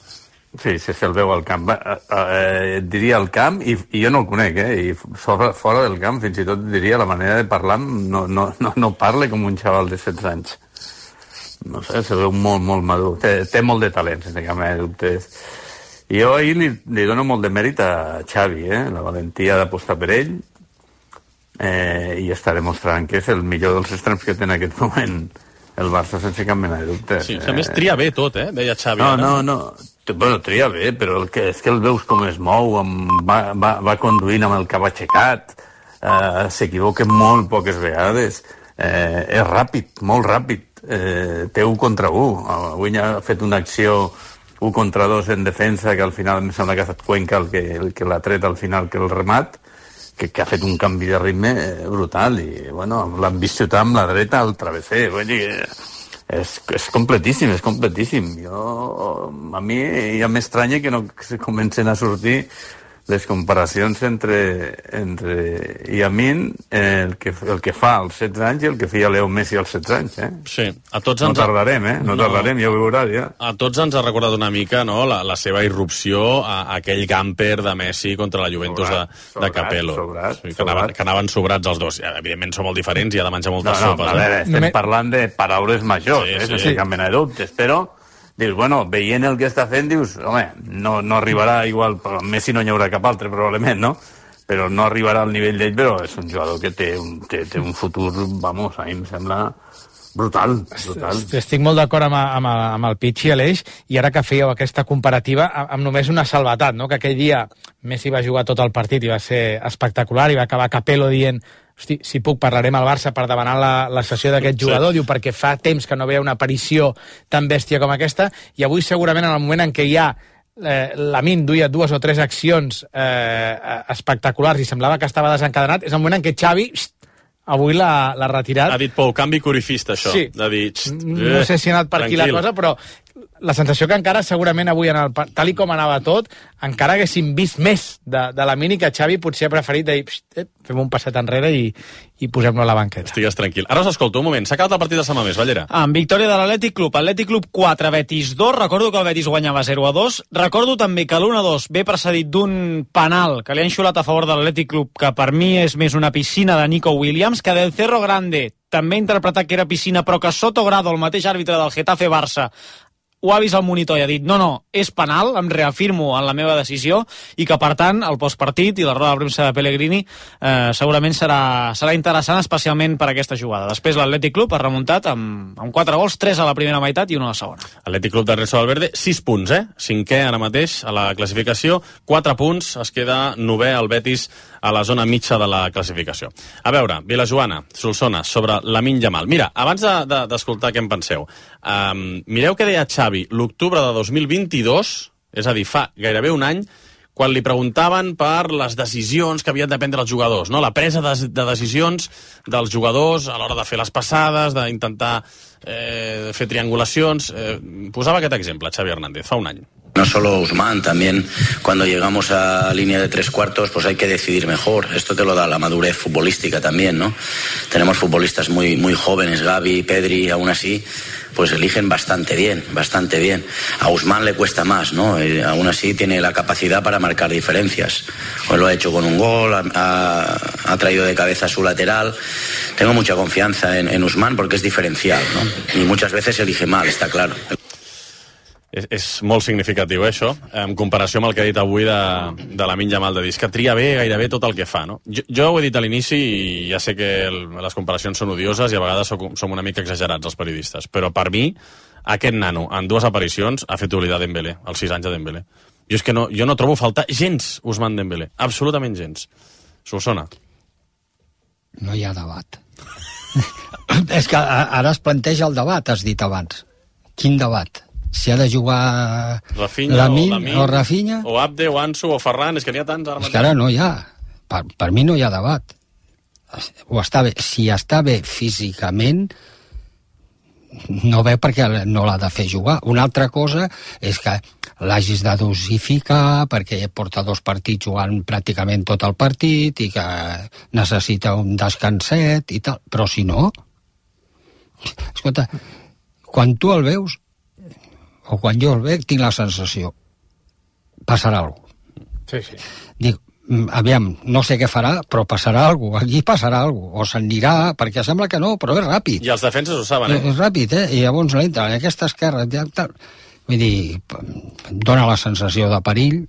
O: Sí, el veu al camp. Diria el camp, i jo no el conec, i fora del camp, fins i tot diria la manera de parlar, no parla com un xaval de 16 anys. No sé, se veu molt, molt madur. Té molt de talent, sense cap mena de dubtes. I jo ahir li dono molt de mèrit a Xavi, la valentia d'apostar per ell, i està demostrant que és el millor dels extrems que té en aquest moment el Barça, sense cap mena de dubte.
D: Sí, a més tria bé tot, deia Xavi.
O: No. Bueno, tria bé, però és que el veus com es mou, va conduint amb el cap aixecat, s'equivoca molt poques vegades, és ràpid, molt ràpid, té 1 contra 1. Avui ha fet una acció 1 contra 2 en defensa, que al final em sembla que ha estat Cuenca el que l'ha tret al final, que el remat, que ha fet un canvi de ritme brutal, i bueno, l'han vist xutar amb la dreta al travesser. És completíssim, és completíssim. A mi ja m'estranya que no se comencen a sortir les comparacions entre Yamin, el que fa als 16 anys, i el que feia Leo Messi als 16 anys.
D: Sí, a tots
O: no tardarem, ja ho veuràs, ja.
D: A tots ens ha recordat una mica, no?, la seva irrupció a aquell gamper de Messi contra la Juventus de Capello. Que anaven sobrats els dos. Evidentment són molt diferents i ha de menjar moltes sopes.
O: A veure, estem parlant de paraules majors, sense cap mena de dubtes, però dius, bueno, veient el que està fent, dius, home, no arribarà igual, Messi no hi haurà cap altre, probablement, no? Però no arribarà al nivell d'ell, però és un jugador que té un futur, vamos, a mi em sembla brutal.
I: Estic molt d'acord amb el Pichi, Aleix, i ara que fèieu aquesta comparativa, amb només una salvetat, no? Que aquell dia Messi va jugar tot el partit i va ser espectacular, i va acabar Capello dient: hosti, si puc, parlarem al Barça per demanar la cessió d'aquest jugador, diu, perquè fa temps que no veia una aparició tan bèstia com aquesta, i avui segurament en el moment en què hi ha Lamine duia 2 o 3 accions espectaculars i semblava que estava desencadenat, és el moment en què Xavi avui l'ha retirat.
D: Ha dit Pou, canvi corifista, això.
I: Sí.
D: De dir,
I: no sé si ha anat per aquí la cosa, però la sensació que encara segurament avui, tal i com anava tot, encara haguéssim vist més de Lamine, que Xavi potser ha preferit dir, fem un passet enrere i posem-lo a la banqueta.
D: Estigues tranquil. Ara us escolto, un moment. S'ha acabat el partit de Sant Mamés, Ballera.
E: Amb victòria de l'Atlètic Club. Atlètic Club 4, Betis 2. Recordo que el Betis guanyava 0-2. Recordo també que l'1-2 ve precedit d'un penal que li han xulat a favor de l'Atlètic Club, que per mi és més una piscina de Nico Williams, que del Cerro Grande també ha interpretat que era piscina, però que Soto Grado, el mateix àrbitre del Getafe Barça, ho ha vist al monitor i ha dit no, és penal, em reafirmo en la meva decisió, i que per tant el postpartit i la roda de premsa de Pellegrini segurament serà interessant, especialment per aquesta jugada. Després l'Atlètic Club ha remuntat amb 4 gols, 3 a la primera meitat i 1 a la segona.
D: Atlètic Club d'Ernesto Valverde, 6 punts, 5è ara mateix a la classificació, 4 punts, es queda 9è el Betis a la zona mitja de la classificació. A veure, Vilajoana, Solsona, sobre Lamine Yamal. Mira, abans d'escoltar què en penseu, mireu què deia Xavi l'octubre de 2022, és a dir, fa gairebé un any, quan li preguntaven per les decisions que havien de prendre els jugadors, no? La presa de decisions dels jugadors a l'hora de fer les passades, d'intentar fer triangulacions. Posava aquest exemple, Xavi Hernández, fa un any.
M: No solo Ousmane, también cuando llegamos a línea de 3/4 pues hay que decidir mejor. Esto te lo da la madurez futbolística también, ¿no? Tenemos futbolistas muy, muy jóvenes, Gavi, Pedri, aún así pues eligen bastante bien. A Ousmane le cuesta más, ¿no? Aún así tiene la capacidad para marcar diferencias. Hoy lo ha hecho con un gol, ha traído de cabeza a su lateral. Tengo mucha confianza en Ousmane porque es diferencial, ¿no? Y muchas veces elige mal, está claro.
D: És molt significatiu, això, en comparació amb el que ha dit avui de Lamine Yamal, de dir que tria bé gairebé tot el que fa, no? Jo ho he dit a l'inici i ja sé que les comparacions són odioses i a vegades som una mica exagerats els periodistes, però per mi aquest nano en 2 aparicions ha fet oblidar Dembélé, els 6 anys de Dembélé. Jo no trobo faltar gens Ousmane Dembélé, absolutament gens. Solsona.
G: No hi ha debat. És que ara es planteja el debat, has dit abans. Quin debat? Si ha de jugar Lamine o Rafinha
D: o Abde o Ansu o Ferran, és que n'hi ha tants ara mateix.
G: És que ara no hi ha, per mi no hi ha debat. Si està bé físicament, no veu perquè no l'ha de fer jugar. Una altra cosa és que l'hagis de dosificar perquè porta 2 partits jugant pràcticament tot el partit i que necessita un descanset i tal, però si no, escolta, quan tu el veus o quan jo el veig tinc la sensació passarà alguna cosa. Sí. Dic, aviam, no sé què farà, però passarà alguna cosa. Aquí passarà alguna cosa. O s'anirà, perquè sembla que no, però és ràpid.
D: I els defenses ho saben,
G: És ràpid, I llavors l'entra en aquesta esquerra. Vull dir, dona la sensació de perill.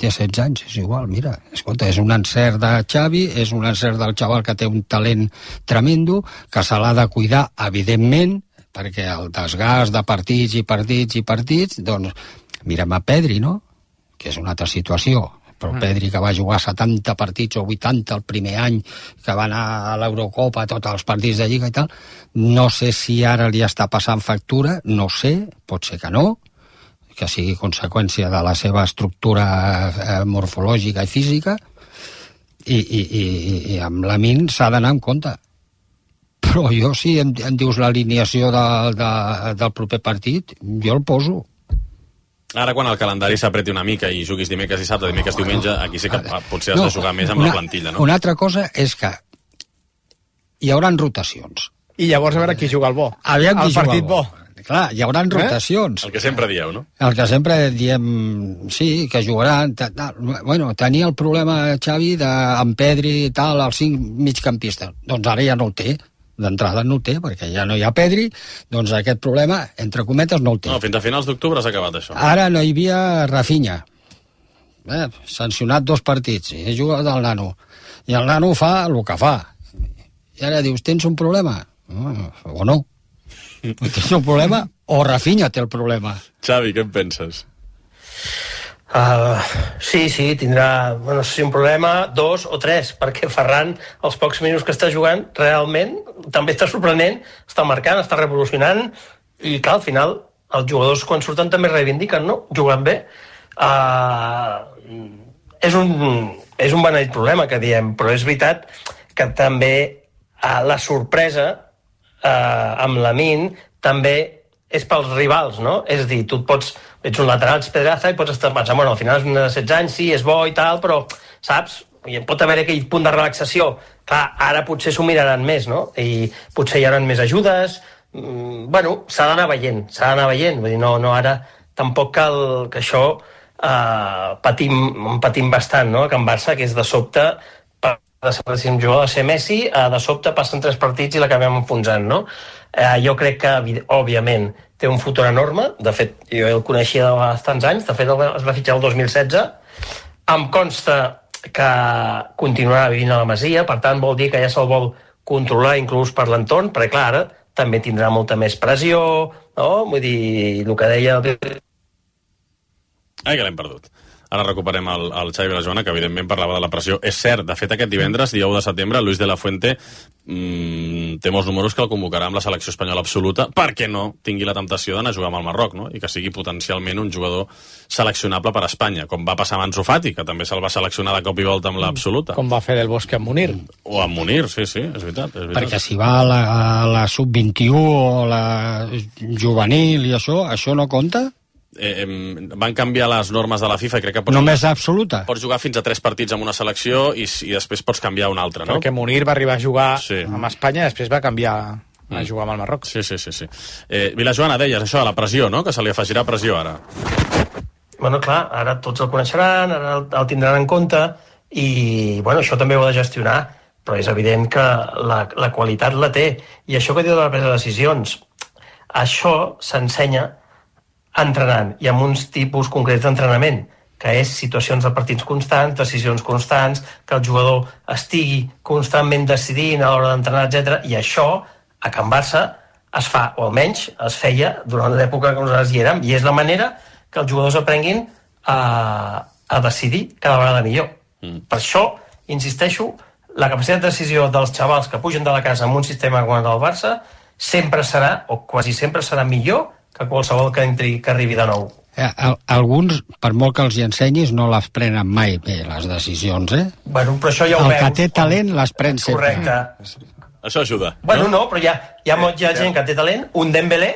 G: Té 16 anys, és igual, mira. Escolta, és un encert de Xavi, és un encert del xaval que té un talent tremendo, que se l'ha de cuidar, evidentment, perquè el desgast de partits, doncs, mirem a Pedri, no?, que és una altra situació, però Pedri, que va jugar 70 partits o 80 el primer any, que va anar a l'Eurocopa, tots els partits de Lliga i tal, no sé si ara li està passant factura, no sé, pot ser que no, que sigui conseqüència de la seva estructura morfològica i física, i amb Lamine s'ha d'anar en compte. Però jo, si em dius l'alineació del proper partit, jo el poso.
D: Ara, quan el calendari s'apreti una mica i juguis dimecres i dissabte, dimecres diumenge, aquí sí que potser has de jugar més amb la plantilla, no?
G: Una altra cosa és que hi haurà rotacions.
I: I llavors a veure qui juga el bo.
G: Aviam qui
I: el partit bo.
G: Clar, hi haurà rotacions.
D: El que sempre dieu, no?
G: El que sempre diem, sí, que jugaran... Bueno, tenia el problema, Xavi, amb Pedri i tal, els 5 migcampistes. Doncs ara ja no el té. D'entrada no el té, perquè ja no hi ha Pedri, doncs aquest problema, entre cometes, no el té.
D: No, fins a finals d'octubre s'ha acabat això.
G: Ara no hi havia Rafinha. Sancionat 2 partits, i juga del nano. I el nano fa el que fa. I ara dius, tens un problema? O no. Tens un problema o Rafinha té el problema.
D: Xavi, què en penses?
H: Sí, tindrà, no sé si un problema, 2 o 3, perquè Ferran, els pocs minuts que està jugant, realment, també està sorprenent, està marcant, està revolucionant, i clar, al final, els jugadors quan surten també reivindiquen, no? Jugant bé. És un beneit problema que diem, però és veritat que també la sorpresa amb Lamine també és pels rivals, no? És a dir, tu ets un lateral, ets Pedraza, i pots estar pensant, bueno, al final és un de 16 anys, sí, és bo i tal, però, saps? I pot haver aquell punt de relaxació. Clar, ara potser s'ho miraran més, no? I potser hi haurà més ajudes. Bueno, s'ha d'anar veient. Vull dir, no ara tampoc cal que això patim bastant, no? A Can Barça, que és de sobte, de ser un jugador de ser Messi, de sobte passen 3 partits i l'acabem enfonsant, no? Jo crec que, òbviament, té un futur enorme. De fet, jo el coneixia de bastants anys. De fet, es va fitxar el 2016. Em consta que continuarà vivint a la Masia, per tant, vol dir que ja se'l vol controlar inclús per l'entorn, perquè, clar, ara també tindrà molta més pressió, no? Vull dir, el que deia...
D: Ai, que l'hem perdut. Ara recuperem el Xavi i la Joana, que evidentment parlava de la pressió. És cert, de fet, aquest divendres, dia 1 de setembre, Luis de la Fuente té molts números que el convocarà amb la selecció espanyola absoluta perquè no tingui la temptació d'anar a jugar amb el Marroc, no? I que sigui potencialment un jugador seleccionable per a Espanya, com va passar amb Ansu Fati, que també se'l va seleccionar de cop i volta amb l'absoluta.
I: Com va fer Del Bosque amb Munir.
D: O amb Munir, sí, és veritat.
G: Perquè si va a la sub-21 o la juvenil i això no compta?
D: Van canviar les normes de la FIFA i crec que pots
G: només absoluta.
D: Pots jugar fins a 3 partits amb una selecció i després pots canviar una altra, no?
I: Perquè Munir va arribar a jugar amb Espanya i després va canviar a jugar amb el Marroc.
D: Sí. Vila Joana, deies això, la pressió, no? Que se li afegirà pressió ara.
H: Bueno, clar, ara tots el coneixeran, ara el tindran en compte i, bueno, això també ho ha de gestionar, però és evident que la qualitat la té. I això que diu de la presa de decisions, això s'ensenya entrenant i amb uns tipus concrets d'entrenament, que és situacions de partits constants, decisions constants, que el jugador estigui constantment decidint a l'hora d'entrenar, etc. I això, a Can Barça, es fa, o almenys es feia durant l'època que nosaltres hi érem, i és la manera que els jugadors aprenguin a decidir cada vegada millor. Per això, insisteixo, la capacitat de decisió dels xavals que pugen de la casa amb un sistema com el del Barça sempre serà, o quasi sempre serà millor que qualsevol que arribi de nou.
G: Alguns, per molt que els hi ensenyis, no les prenen mai bé, les decisions,
H: Bueno, però això ja ho veus.
G: El que té talent les pren sempre.
H: Correcte.
D: Això ajuda.
H: Bueno, no, però hi ha gent que té talent, un Dembélé,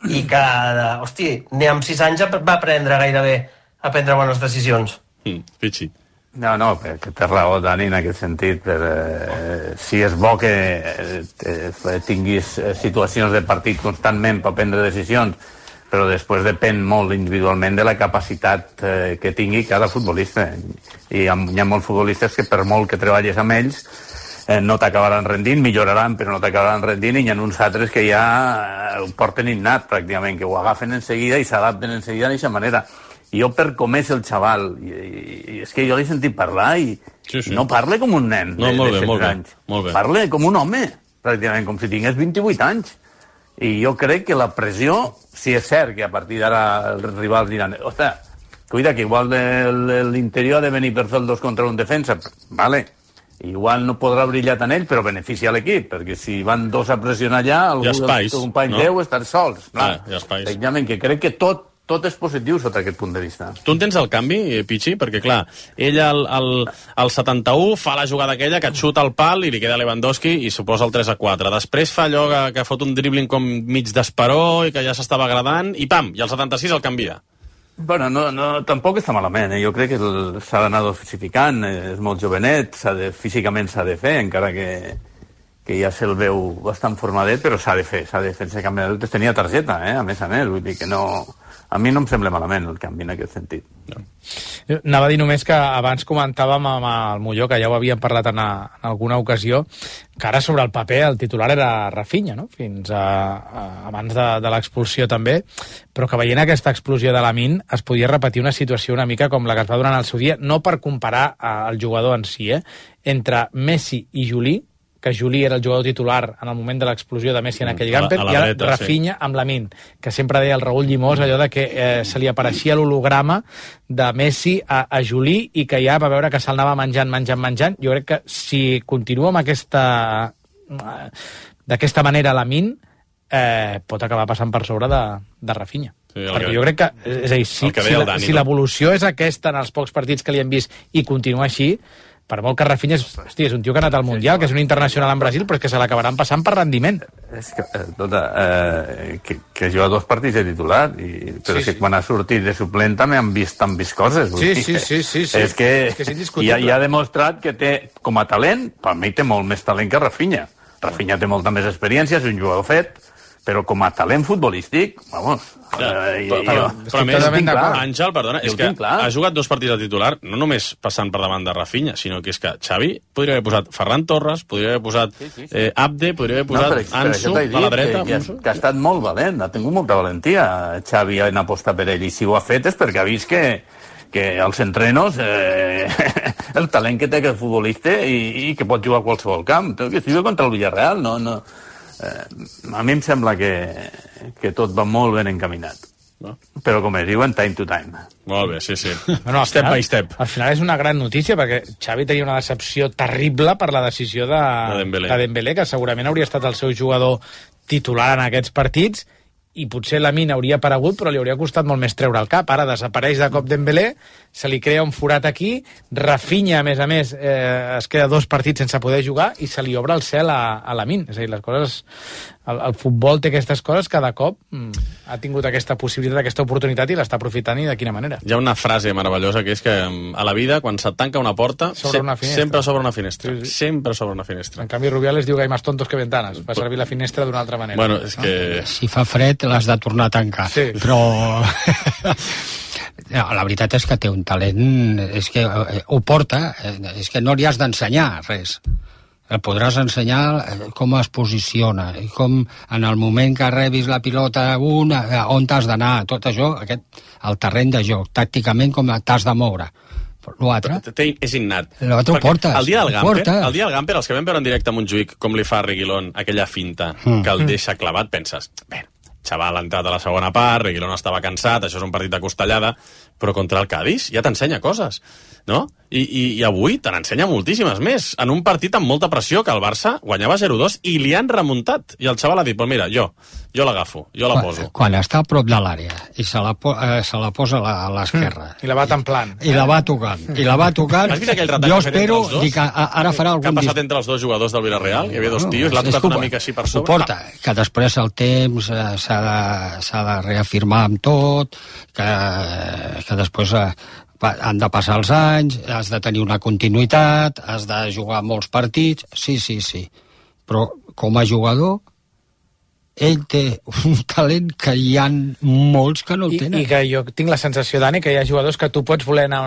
H: i que, ni amb 6 anys va aprendre gairebé a prendre bones decisions.
D: Pichi.
O: No, perquè té raó, Dani, en aquest sentit. Si és bo que tinguis situacions de partit constantment per prendre decisions, però després depèn molt individualment de la capacitat que tingui cada futbolista. I hi ha molts futbolistes que per molt que treballes amb ells no t'acabaran rendint, milloraran, però no t'acabaran rendint, i hi ha uns altres que ja ho porten innat, pràcticament, que ho agafen en seguida i s'adapten en seguida d'aquesta manera. I jo, per com és el xaval, i és que jo l'he sentit parlar i no parla com un nen de 16 anys. Parla com un home, pràcticament, com si tingués 28 anys. I jo crec que la pressió, si és cert que a partir d'ara els rivals diran ostres, cuida que igual l'interior ha de venir per fer el 2 contra 1 defensa, vale, igual no podrà brillar tant ell, però beneficia l'equip, perquè si van 2 a pressionar allà, algú dels companys 10 estan sols. Tècnicament, que crec que tot és positiu sota aquest punt de vista.
D: Tu entens el canvi, Pichi? Perquè, clar, ell al 71 fa la jugada aquella que et xuta el pal i li queda Lewandowski i suposa el 3-4. Després fa allò que fot un dribbling com mig d'esperó i que ja s'estava agradant i pam, i al 76 el canvia.
O: Bueno, tampoc està malament. Jo crec que s'ha d'anar dosificant, és molt jovenet, físicament s'ha de fer, encara que ja se'l veu bastant formadet, però s'ha de fer ese canvi. Tenia targeta, a més, vull dir que no... A mi no em sembla malament el canvi en aquest sentit.
I: No. Anava a dir només que abans comentàvem amb el Molló, que ja ho havíem parlat en alguna ocasió, que ara sobre el paper el titular era Rafinha, no? Fins abans de l'expulsió també, però que veient aquesta explosió de Lamine es podia repetir una situació una mica com la que es va donar en el seu dia, no per comparar el jugador en si, entre Messi i Juli, que Juli era el jugador titular en el moment de l'explosió de Messi en aquell gamper, i ara Rafinha amb Lamine, que sempre deia el Raül Llimós allò de que se li apareixia l'holograma de Messi a Juli i que ja va veure que se'l anava menjant. Jo crec que si continua amb d'aquesta manera Lamine, pot acabar passant per sobre de Rafinha. Sí, perquè jo crec que, és a dir, si l'evolució és aquesta en els pocs partits que li hem vist i continua així, per molt que Rafinha és un tio que ha anat al Mundial, que és un internacional en Brasil, però és que se l'acabaran passant per rendiment.
O: És que ha jugat 2 partits de titular, però que quan ha sortit de suplent també han vist coses.
I: Sí.
O: És que ja ha demostrat que té, com a talent, per mi té molt més talent que Rafinha. Rafinha té molta més experiència, és un jugador fet, però com a talent futbolístic, vamos...
D: Però a més, Àngel, perdona, és que ha jugat 2 partits de titular, no només passant per davant de Rafinha, sinó que és que Xavi podria haver posat Ferran Torres, podria haver posat Abde, podria haver posat Ansu a la dreta.
O: Que ha estat molt valent, ha tingut molta valentia Xavi en apostar per ell, i si ho ha fet és perquè ha vist que als entrenos el talent que té aquest futbolista i que pot jugar a qualsevol camp, que estigui contra el Villarreal, no... a mi em sembla que tot va molt ben encaminat. Però, com es diuen, time to time.
D: Molt bé, sí.
I: Bueno,
D: step by step.
I: Al final és una gran notícia, perquè Xavi tenia una decepció terrible per la decisió de Dembélé, que segurament hauria estat el seu jugador titular en aquests partits, i potser Lamine hauria aparegut, però li hauria costat molt més treure el cap. Ara desapareix de cop Dembélé, se li crea un forat aquí, Rafinha, a més, es queda 2 partits sense poder jugar i se li obre el cel a Lamine. És a dir, les coses... El futbol té aquestes coses, cada cop ha tingut aquesta possibilitat, aquesta oportunitat i l'està aprofitant, i de quina manera.
D: Hi ha una frase meravellosa que és que a la vida, quan se't tanca una porta, sempre s'obre una finestra. Sí. Sempre s'obre una finestra.
I: En canvi, Rubiales diu que hi ha més tontos que ventanes. Va servir la finestra d'una altra manera.
D: Bueno, és que...
G: Si fa fred, l'has de tornar a tancar.
I: Sí.
G: Però... la veritat és que té un talent, és que ho porta, és que no li has d'ensenyar res. El podràs ensenyar com es posiciona, i com en el moment que rebis la pilota on t'has d'anar, tot això, el terreny de joc, tàcticament com t'has de moure. L'altre
D: és innat.
G: L'altre ho portes.
D: El dia del Gamper, els que vam veure en directe a Montjuïc, com li fa a Reguilón aquella finta que el deixa clavat, penses, bé, xaval ha entrat a la segona part, Reguilón estava cansat, això és un partit de costellada, però contra el Cádiz ja t'ensenya coses, no? I avui te n'ensenya moltíssimes més, en un partit amb molta pressió, que el Barça guanyava 0-2 i li han remuntat, i el xaval ha dit, pues mira, jo l'agafo, jo la poso.
G: Quan està a prop de l'àrea i se la posa a l'esquerra
I: i la va templant
G: i la va tocant
D: Has vist aquell retall
G: jo espero que ara farà algun
D: que ha passat entre els 2 jugadors del Villarreal? Hi havia 2 tios, l'ha tocat una mica així per sobre.
G: Ho porta, que després el temps s'ha de reafirmar amb tot, que després han de passar els anys, has de tenir una continuïtat, has de jugar molts partits, sí, però com a jugador ell té un talent que hi ha molts que no el tenen.
I: I que jo tinc la sensació, Dani, que hi ha jugadors que tu pots voler anar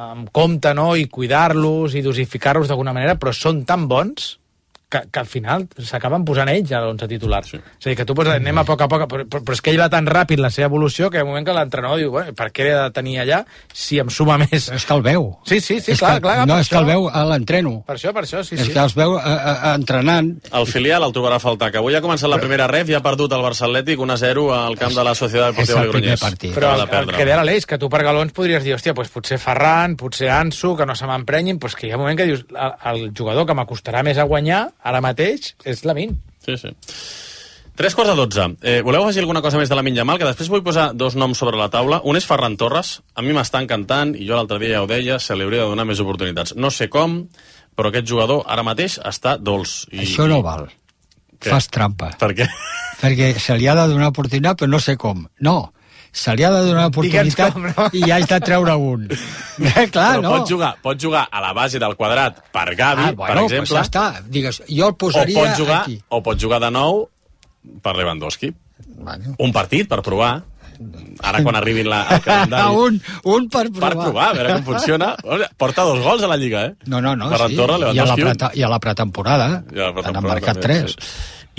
I: amb compte, no?, i cuidar-los i dosificar-los d'alguna manera, però són tan bons que al final s'acaben posant ells a l'11 titular. Sí. És a dir, que tu pots anem a poc, però és que ell va tan ràpid la seva evolució que hi ha un moment que l'entrenador diu, bueno, per què he de tenir allà si em suma més?
G: És que el veu.
I: Sí, clar.
G: No, és que el veu a l'entreno.
I: Per això, sí.
G: És que els veu entrenant.
D: El filial el trobarà a faltar, que avui ha començat la primera ref i ha perdut el Barça Atlètic 1-0 al camp de la Societat Deportiva Logroñés.
I: Però el que deia l'Aleix, que tu per galons podries dir, hòstia, doncs potser Ferran, potser Ansu, que no se m'emprenyin, doncs que hi ha un moment que dius, el jugador que m'acostarà més a guanyar, ara mateix, és Lamine.
D: Sí. 3:45. Voleu afegir alguna cosa més de Lamine Yamal? Que després vull posar dos noms sobre la taula. Un és Ferran Torres. A mi m'està encantant, i jo l'altre dia ja ho deia, se li hauria de donar més oportunitats. No sé com, però aquest jugador ara mateix està dolç.
G: Això no val. Què? Fas trampa.
D: Per què?
G: Perquè se li ha de donar oportunitat, però no sé com. No, se li ha de donar oportunitat com, no? I ja has de treure un. Clar,
D: però no. Pot jugar a la base del quadrat per Gavi, per exemple.
G: Pues ja està. Digues, jo el posaria aquí.
D: O pot jugar de nou per Lewandowski. Un partit per provar. Ara quan arribin al calendari.
G: un per provar.
D: Per provar, a veure com funciona. Porta 2 gols a la Lliga,
G: No,
D: Ferran Torres, Lewandowski.
G: I a la pretemporada. Han marcat 3.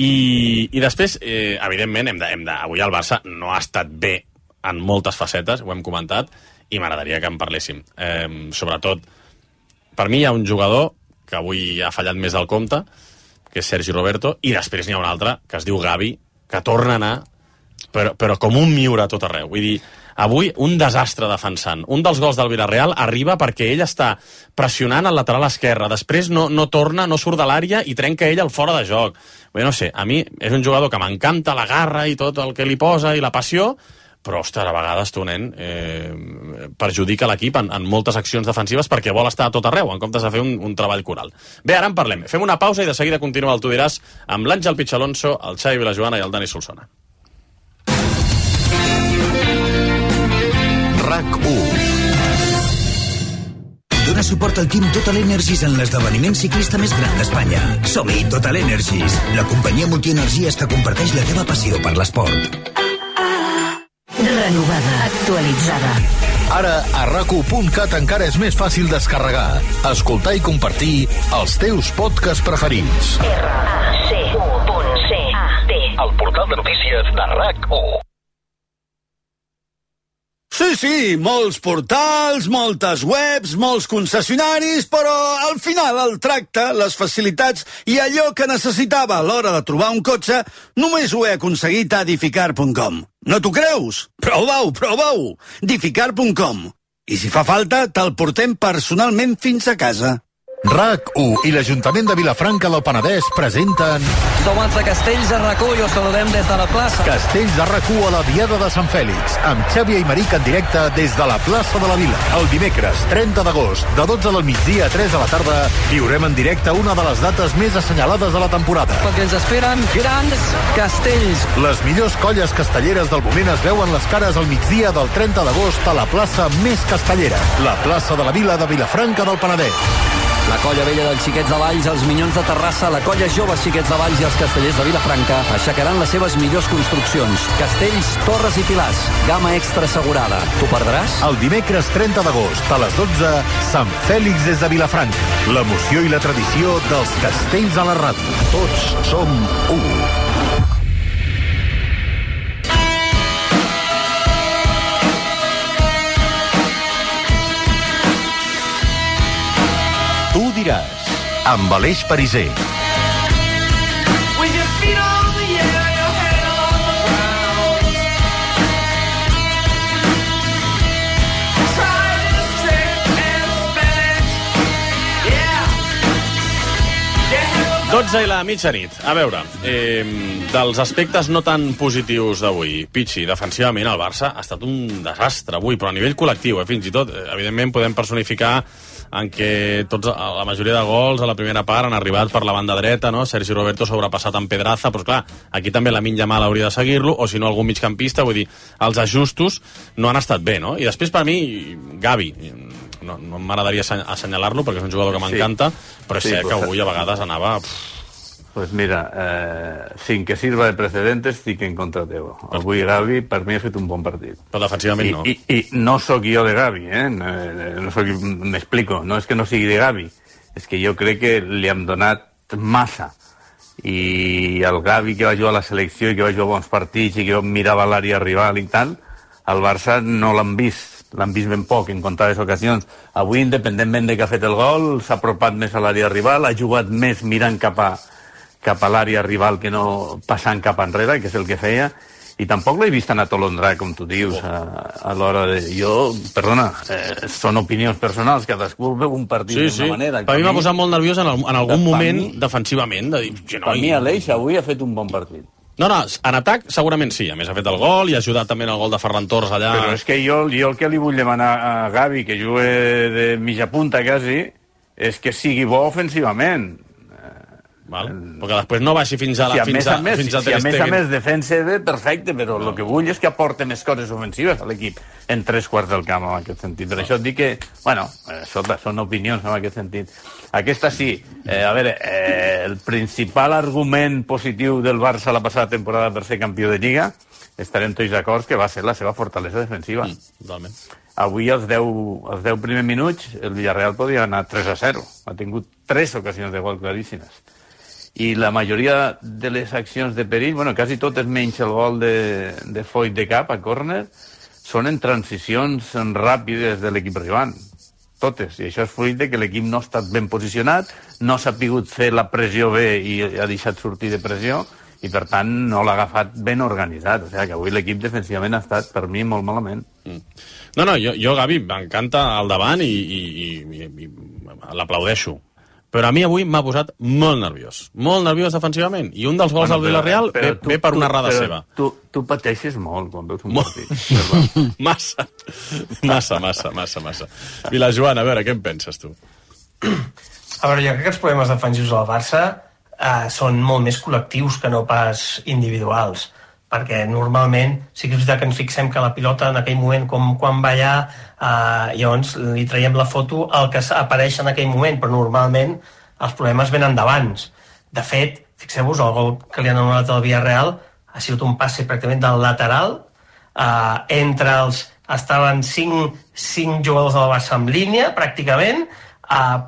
D: I després, evidentment, avui el Barça no ha estat bé en moltes facetes, ho hem comentat, i m'agradaria que en parléssim. Sobretot, per mi hi ha un jugador que avui ha fallat més del compte, que és Sergi Roberto, i després n'hi ha un altre, que es diu Gavi, que torna a anar, però com un miure a tot arreu. Vull dir, avui un desastre defensant. Un dels gols del Villarreal arriba perquè ell està pressionant al lateral esquerre, després no torna, no surt de l'àrea i trenca ell el fora de joc. Bé, no sé, a mi és un jugador que m'encanta la garra i tot el que li posa i la passió, però, ostres, a vegades tu, nen, perjudica l'equip en moltes accions defensives perquè vol estar a tot arreu, en comptes de fer un treball coral. Bé, ara en parlem. Fem una pausa i de seguida continua el Tu diràs amb l'Àngel Pichalonso, el Xavi Vilajoana i el Dani Solsona.
P: RAC1. Dona suport al Team Total Energies en l'esdeveniment ciclista més gran d'Espanya. Som-hi, Total Energies, la companyia multienergies que comparteix la teva passió per l'esport.
B: Renovada, actualitzada.
A: Ara, a RAC1.cat encara és més fàcil descarregar, escoltar i compartir els teus podcasts preferits.
B: RAC1.cat.
A: El portal de notícies de RAC1.
J: Sí, molts portals, moltes webs, molts concessionaris, però al final el tracte, les facilitats i allò que necessitava a l'hora de trobar un cotxe només ho he aconseguit a Edificar.com. No t'ho creus? Prova-ho! Edificar.com. I si fa falta, te'l portem personalment fins a casa.
A: RAC1 i l'Ajuntament de Vilafranca del Penedès presenten...
Q: Som els de Castells de RAC1 i us saludem des de la plaça.
A: Castells de RAC1 a la Diada de Sant Fèlix, amb Xavi Aymeric en directe des de la plaça de la Vila. El dimecres 30 d'agost, de 12 del migdia a 3 de la tarda, viurem en directe una de les dates més assenyalades de la temporada.
Q: Perquè ens esperen grans castells.
A: Les millors colles castelleres del moment es veuen les cares al migdia del 30 d'agost a la plaça més castellera, la plaça de la Vila de Vilafranca del Penedès.
Q: La colla vella dels Xiquets de Valls, els Minyons de Terrassa, la colla jove Xiquets de Valls i els castellers de Vilafranca aixecaran les seves millors construccions. Castells, torres i pilars. Gamma extra assegurada. T'ho perdràs?
A: El dimecres 30 d'agost, a les 12, Sant Fèlix des de Vilafranca. L'emoció i la tradició dels castells a la ràdio. Tots som u. Tu diràs, amb Aleix Pariser.
D: Dotze i la mitjanit. A veure, dels aspectes no tan positius d'avui, Pichi, defensivament el Barça ha estat un desastre avui, però a nivell col·lectiu, fins i tot, evidentment podem personificar en què la majoria de gols a la primera part han arribat per la banda dreta, no? Sergi Roberto sobrepassat en Pedraza, però clar, aquí també Lamine Yamal hauria de seguir-lo, o si no algun migcampista, vull dir, els ajustos no han estat bé, no? I després per mi, Gavi, no m'agradaria assenyalar-lo perquè és un jugador que m'encanta, però és cert que avui a vegades anava...
O: Pues mira, sin que sirva de precedentes, estic en contra teu. Avui Gavi, per mi, ha fet un bon partit.
D: Però defensivament no.
O: I no sóc jo de Gavi, m'explico. No és que no sigui de Gavi, és que jo crec que li hem donat massa. I el Gavi que va jugar a la selecció i que va jugar bons partits i que mirava l'àrea rival i tal, el Barça no l'han vist ben poc en comptades ocasions. Avui, independentment de que ha fet el gol, s'ha apropat més a l'àrea rival, ha jugat més mirant cap a l'àrea rival que no passant cap enrere, que és el que feia, i tampoc l'he vist tan atolondrar, com tu dius, a l'hora de... Perdona, són opinions personals, cadascú veu un partit d'una manera.
D: Per mi m'ha posat molt nerviós en algun moment defensivament, de dir...
O: Per mi Aleix avui ha fet un bon partit.
D: No, en atac segurament sí, a més ha fet el gol i ha ajudat també en el gol de Ferran Torres allà.
O: Però és que jo el que li vull demanar a Gavi, que jugue de mitja punta quasi, és que sigui bo ofensivament.
D: Perquè després no baixi fins a Ter Stegen.
O: Si a més defensa bé, perfecte, però el que vull és que aporte més coses ofensives a l'equip en 3/4 del camp, en aquest sentit. Per això et dic que, són opinions en aquest sentit. Aquesta sí, el principal argument positiu del Barça la passada temporada per ser campió de Lliga, estarem tots d'acord que va ser la seva fortalesa defensiva.
D: Totalment.
O: Avui, als 10 primers minuts, el Villarreal podia anar 3-0. Ha tingut 3 ocasions de gol claríssimes. I la majoria de les accions de perill, quasi totes menys el gol de Foyt de cap a córner, són en transicions ràpides de l'equip rival. Totes. I això és fruit de que l'equip no ha estat ben posicionat, no s'ha pogut fer la pressió bé i ha deixat sortir de pressió, i per tant no l'ha agafat ben organitzat. O sigui que avui l'equip defensivament ha estat, per mi, molt malament.
D: No, jo Gavi, m'encanta al davant i l'aplaudeixo. Però a mi avui m'ha posat molt nerviós defensivament, i un dels gols del Villarreal ve per una errada seva.
O: Tu pateixes molt quan veus un partit.
D: Massa. Vilajoan, a veure, què en penses tu?
H: A veure, jo crec que els problemes defensius del Barça són molt més col·lectius que no pas individuals, perquè normalment sí que és veritat que ens fixem que la pilota en aquell moment, com quan va allà, llavors li traiem la foto al que apareix en aquell moment, però normalment els problemes venen d'abans. De fet, fixeu-vos, el gol que li han anul·lat al Villarreal ha sigut un passe pràcticament del lateral, entre els... estaven 5 jugadors del Barça en línia, pràcticament,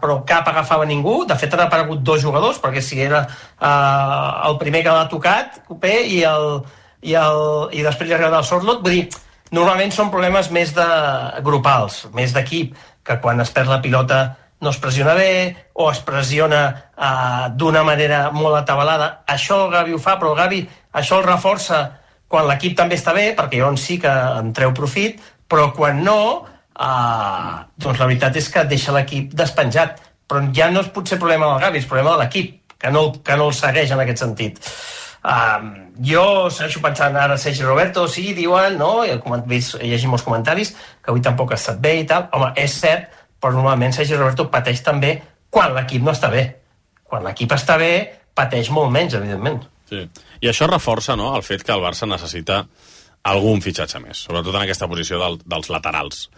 H: però cap agafava ningú. De fet, han aparegut 2 jugadors, perquè si era el primer que l'ha tocat, Copé, i després li ha arribat el Sorlot. Vull dir, normalment són problemes més grupals, més d'equip, que quan es perd la pilota no es pressiona bé, o es pressiona d'una manera molt atabalada. Això el Gavi ho fa, però el Gavi això el reforça quan l'equip també està bé, perquè llavors sí que en treu profit, però quan no, doncs la veritat és que deixa l'equip despenjat. Però ja no és potser problema del Gavi, és problema de l'equip, que no el segueix en aquest sentit. Jo segueixo pensant ara Sergi Roberto, sí, diuen, no? Llegim els comentaris, que avui tampoc ha estat bé i tal. Home, és cert, però normalment Sergi Roberto pateix també quan l'equip no està bé. Quan l'equip està bé, pateix molt menys, evidentment.
D: Sí. I això reforça, no?, el fet que el Barça necessita algun fitxatge més, sobretot en aquesta posició dels laterals.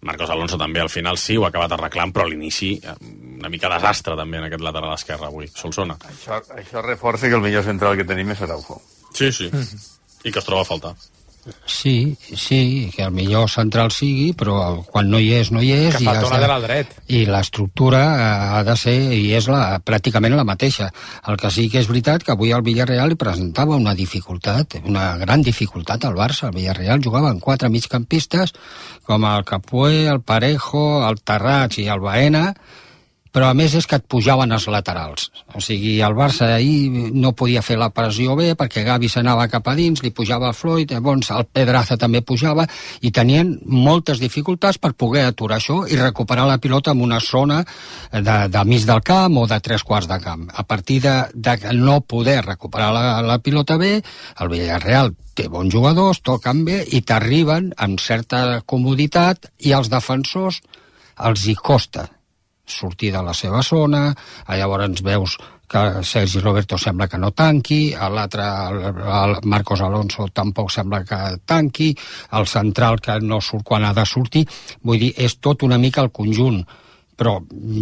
D: Marcos Alonso també al final sí ho ha acabat arreglant, però a l'inici una mica desastre també en aquest lateral esquerre avui. Solsona.
O: Això reforça que el millor central que tenim és Araujo.
D: Sí. I que es troba a faltar.
G: Sí, que el millor central sigui, però quan no hi és, no hi és.
I: Que falta un lateral dret.
G: I l'estructura ha de ser, i és pràcticament la mateixa. El que sí que és veritat que avui el Villarreal li presentava una dificultat, una gran dificultat al Barça. El Villarreal jugava amb 4 migcampistes, com el Capué, el Parejo, el Tarrats i el Baena, però a més és que et pujaven els laterals. O sigui, el Barça ahir no podia fer la pressió bé perquè Gavi s'anava cap a dins, li pujava el Floyd, llavors el Pedraza també pujava, i tenien moltes dificultats per poder aturar això i recuperar la pilota en una zona de mig del camp o de 3/4 de camp. A partir de no poder recuperar la pilota bé, el Villarreal té bons jugadors, toquen bé i t'arriben amb certa comoditat, i als defensors els hi costa sortir de la seva zona. Llavors veus que Sergi Roberto sembla que no tanqui, l'altre, el Marcos Alonso, tampoc sembla que tanqui, el central que no surt quan ha de sortir. Vull dir, és tot una mica el conjunt, però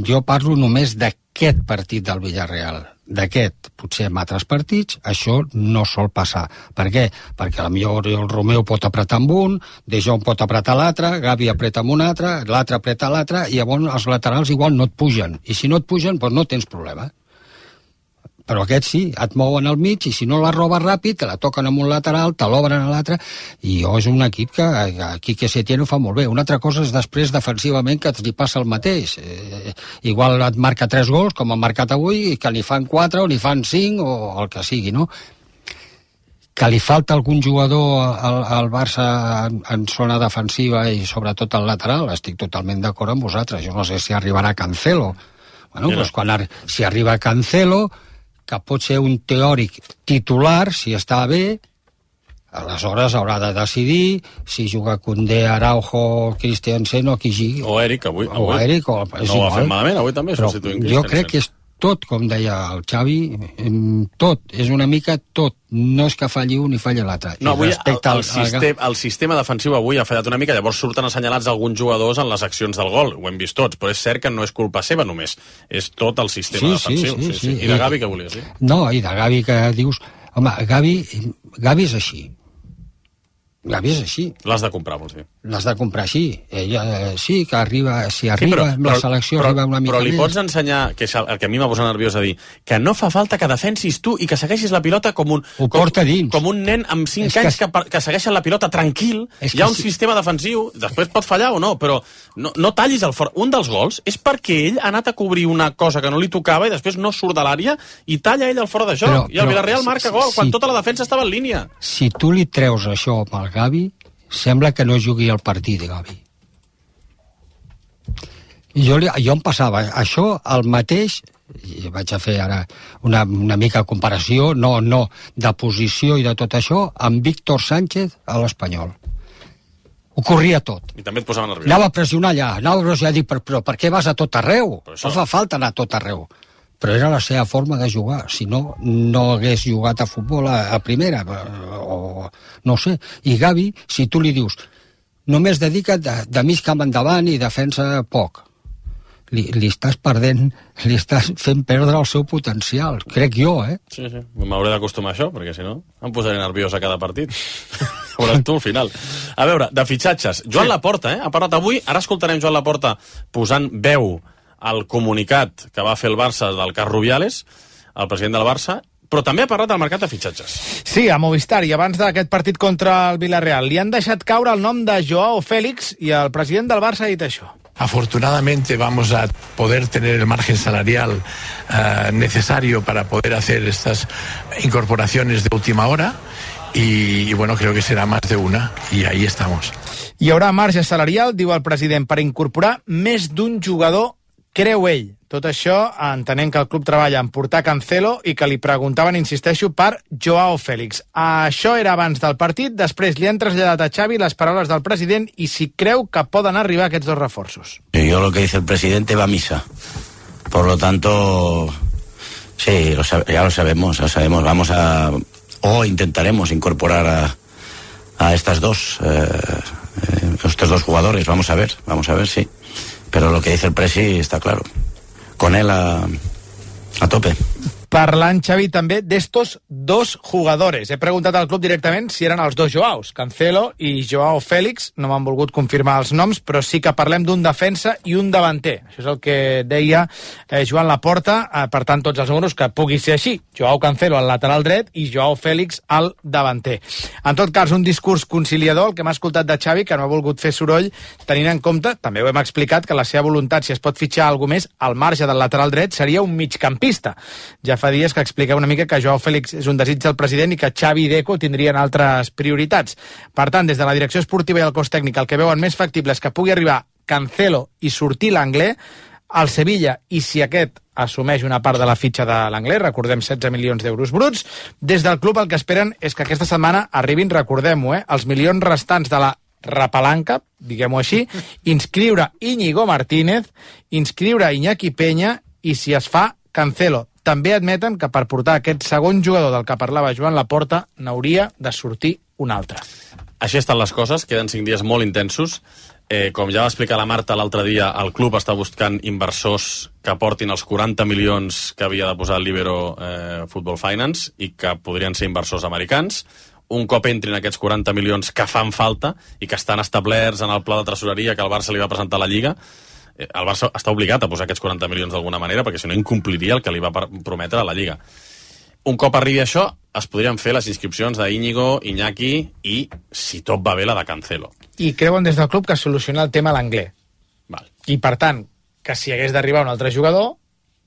G: jo parlo només d'aquest partit del Villarreal. d'aquest, potser en altres partits, això no sol passar. Per què? Perquè potser el Romeu pot apretar amb un, De Jong pot apretar l'altre, Gavi apreta amb un altre, l'altre apreta l'altre, i llavors els laterals igual no et pugen. I si no et pugen, doncs no tens problema. Però aquests sí, et mouen al mig, i si no la roba ràpid, te la toquen amb un lateral, te l'obren a l'altre, i és un equip que aquí que Setién ho fa molt bé. Una altra cosa és després defensivament que li passa el mateix. Igual et marca 3 gols, com han marcat avui, i que n'hi fan 4 o n'hi fan 5 o el que sigui, no? Que li falta algun jugador al Barça en zona defensiva i sobretot al lateral, estic totalment d'acord amb vosaltres. Jo no sé si arribarà Cancelo. Bueno, doncs si arriba Cancelo, que pot ser un teòric titular, si està bé, aleshores haurà de decidir si juga Koundé, Araujo, Christensen o qui sigui.
D: O Eric, avui.
G: O Eric,
D: no ho va fer malament, avui també substituint Christensen.
G: Jo crec que és tot, com deia el Xavi, tot, és una mica tot. No és que falli un i falli l'altre.
D: No, avui el sistema defensiu avui ha fallat una mica, llavors surten assenyalats alguns jugadors en les accions del gol, ho hem vist tots, però és cert que no és culpa seva només, és tot el sistema defensiu. Sí. I de Gavi què volies dir?
G: No, i de Gavi que dius, home, Gavi és així. Gavi és així.
D: L'has de comprar, vols dir?
G: L'has de comprar, sí. Ella sí que arriba, si arriba amb la selecció arriba una mica
D: més. Però li
G: més.
D: Pots ensenyar, que és el que a mi m'ha posat nerviós a dir, que no fa falta que defensis tu i que segueixis la pilota com un nen amb 5 anys que segueixen la pilota tranquil. Hi ha un sistema defensiu, després pot fallar o no, però no tallis el fora. Un dels gols és perquè ell ha anat a cobrir una cosa que no li tocava i després no surt de l'àrea i talla ell el fora de joc. I el Villarreal marca gol quan tota la defensa estava en línia.
G: Si tu li treus això amb el Gavi, sembla que no jugui el partit, Gavi. Jo em passava això el mateix, i vaig a fer ara una mica de comparació, no de posició i de tot això, amb Víctor Sánchez a l'Espanyol. Ho corria tot.
D: I també et posava nerviós.
G: Anava a pressionar allà, dic, però per què vas a tot arreu? No fa falta anar a tot arreu. Però era la seva forma de jugar, si no hagués jugat a futbol a primera, o no sé. I Gavi, si tu li dius, només dedica't de mig camp endavant i defensa poc, li estàs perdent, li estàs fent perdre el seu potencial, crec jo,
D: Sí, m'hauré d'acostumar a això, perquè si no em posaré nerviós a cada partit. Veuràs tu al final. A veure, de fitxatges, Joan Laporta, ha parlat avui, ara escoltarem Joan Laporta posant veu el comunicat que va fer el Barça del cas Rubiales, el president del Barça, però també ha parlat del mercat de fitxatges.
I: Sí, a Movistar, i abans d'aquest partit contra el Villarreal. Li han deixat caure el nom de Joao Félix i el president del Barça ha dit això.
R: Afortunadamente vamos a poder tener el margen salarial necesario para poder hacer estas incorporaciones de última hora y bueno, creo que será más de una y ahí estamos.
I: Hi haurà marge salarial, diu el president, per incorporar més d'un jugador, creu ell. Tot això entenent que el club treballa en portar Cancelo i que li preguntaven, insisteixo, per Joao Félix. Això era abans del partit, després li han traslladat a Xavi les paraules del president i si creu que poden arribar aquests dos reforços.
M: Yo lo que dice el presidente va a misa. Por lo tanto, sí, ya lo sabemos. Vamos a, o intentaremos incorporar a estas dos, estos dos jugadores. Vamos a ver, sí. Pero lo que dice el presi está claro. Con él a tope.
I: Parlant, Xavi, també d'estos dos jugadores. He preguntat al club directament si eren els dos Joaos, Cancelo i Joao Félix. No m'han volgut confirmar els noms, però sí que parlem d'un defensa i un davanter. Això és el que deia Joan Laporta. Per tant, tots els números que pugui ser així. Joao Cancelo al lateral dret i Joao Félix al davanter. En tot cas, un discurs conciliador, el que m'ha escoltat de Xavi, que no ha volgut fer soroll, tenint en compte, també ho hem explicat, que la seva voluntat, si es pot fitxar alguna més, al marge del lateral dret, seria un migcampista. Ja fa dies que expliqueu una mica que Joao Félix és un desig del president i que Xavi i Deco tindrien altres prioritats. Per tant, des de la direcció esportiva i el cos tècnic, el que veuen més factible és que pugui arribar Cancelo i sortir l'Anglès, al Sevilla, i si aquest assumeix una part de la fitxa de l'Anglès, recordem 16 milions d'euros bruts, des del club el que esperen és que aquesta setmana arribin, recordem-ho, els milions restants de la repalanca, diguem-ho així, inscriure Íñigo Martínez, inscriure Iñaki Peña i, si es fa, Cancelo. També admeten que per portar aquest segon jugador del que parlava Joan Laporta n'hauria de sortir un altre.
D: Així estan les coses, queden 5 dies molt intensos. Com ja va explicar la Marta l'altre dia, el club està buscant inversors que aportin els 40 milions que havia de posar el Libero Football Finance i que podrien ser inversors americans. Un cop entrin aquests 40 milions que fan falta i que estan establerts en el pla de tresoreria que el Barça li va presentar a la Lliga, el Barça està obligat a posar aquests 40 milions d'alguna manera, perquè si no incompliria el que li va prometre a la Lliga. Un cop arribi això, es podrien fer les inscripcions d'Íñigo, Iñaki i, si tot va bé, la de Cancelo.
I: I creuen des del club que soluciona el tema a l'anglès. I, per tant, que si hagués d'arribar un altre jugador,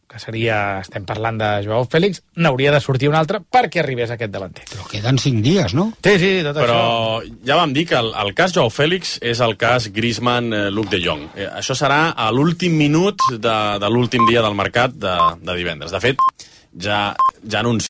I: que seria, estem parlant de Joao Félix, n'hauria de sortir un altre perquè arribés aquest davanter.
G: Però queden 5 dies, no?
I: Sí, tot
D: Però
I: això.
D: Però ja vam dir que el cas Joao Félix és el cas Griezmann-Luc de Jong. Això serà a l'últim minut de l'últim dia del mercat de divendres. De fet, ja anuncia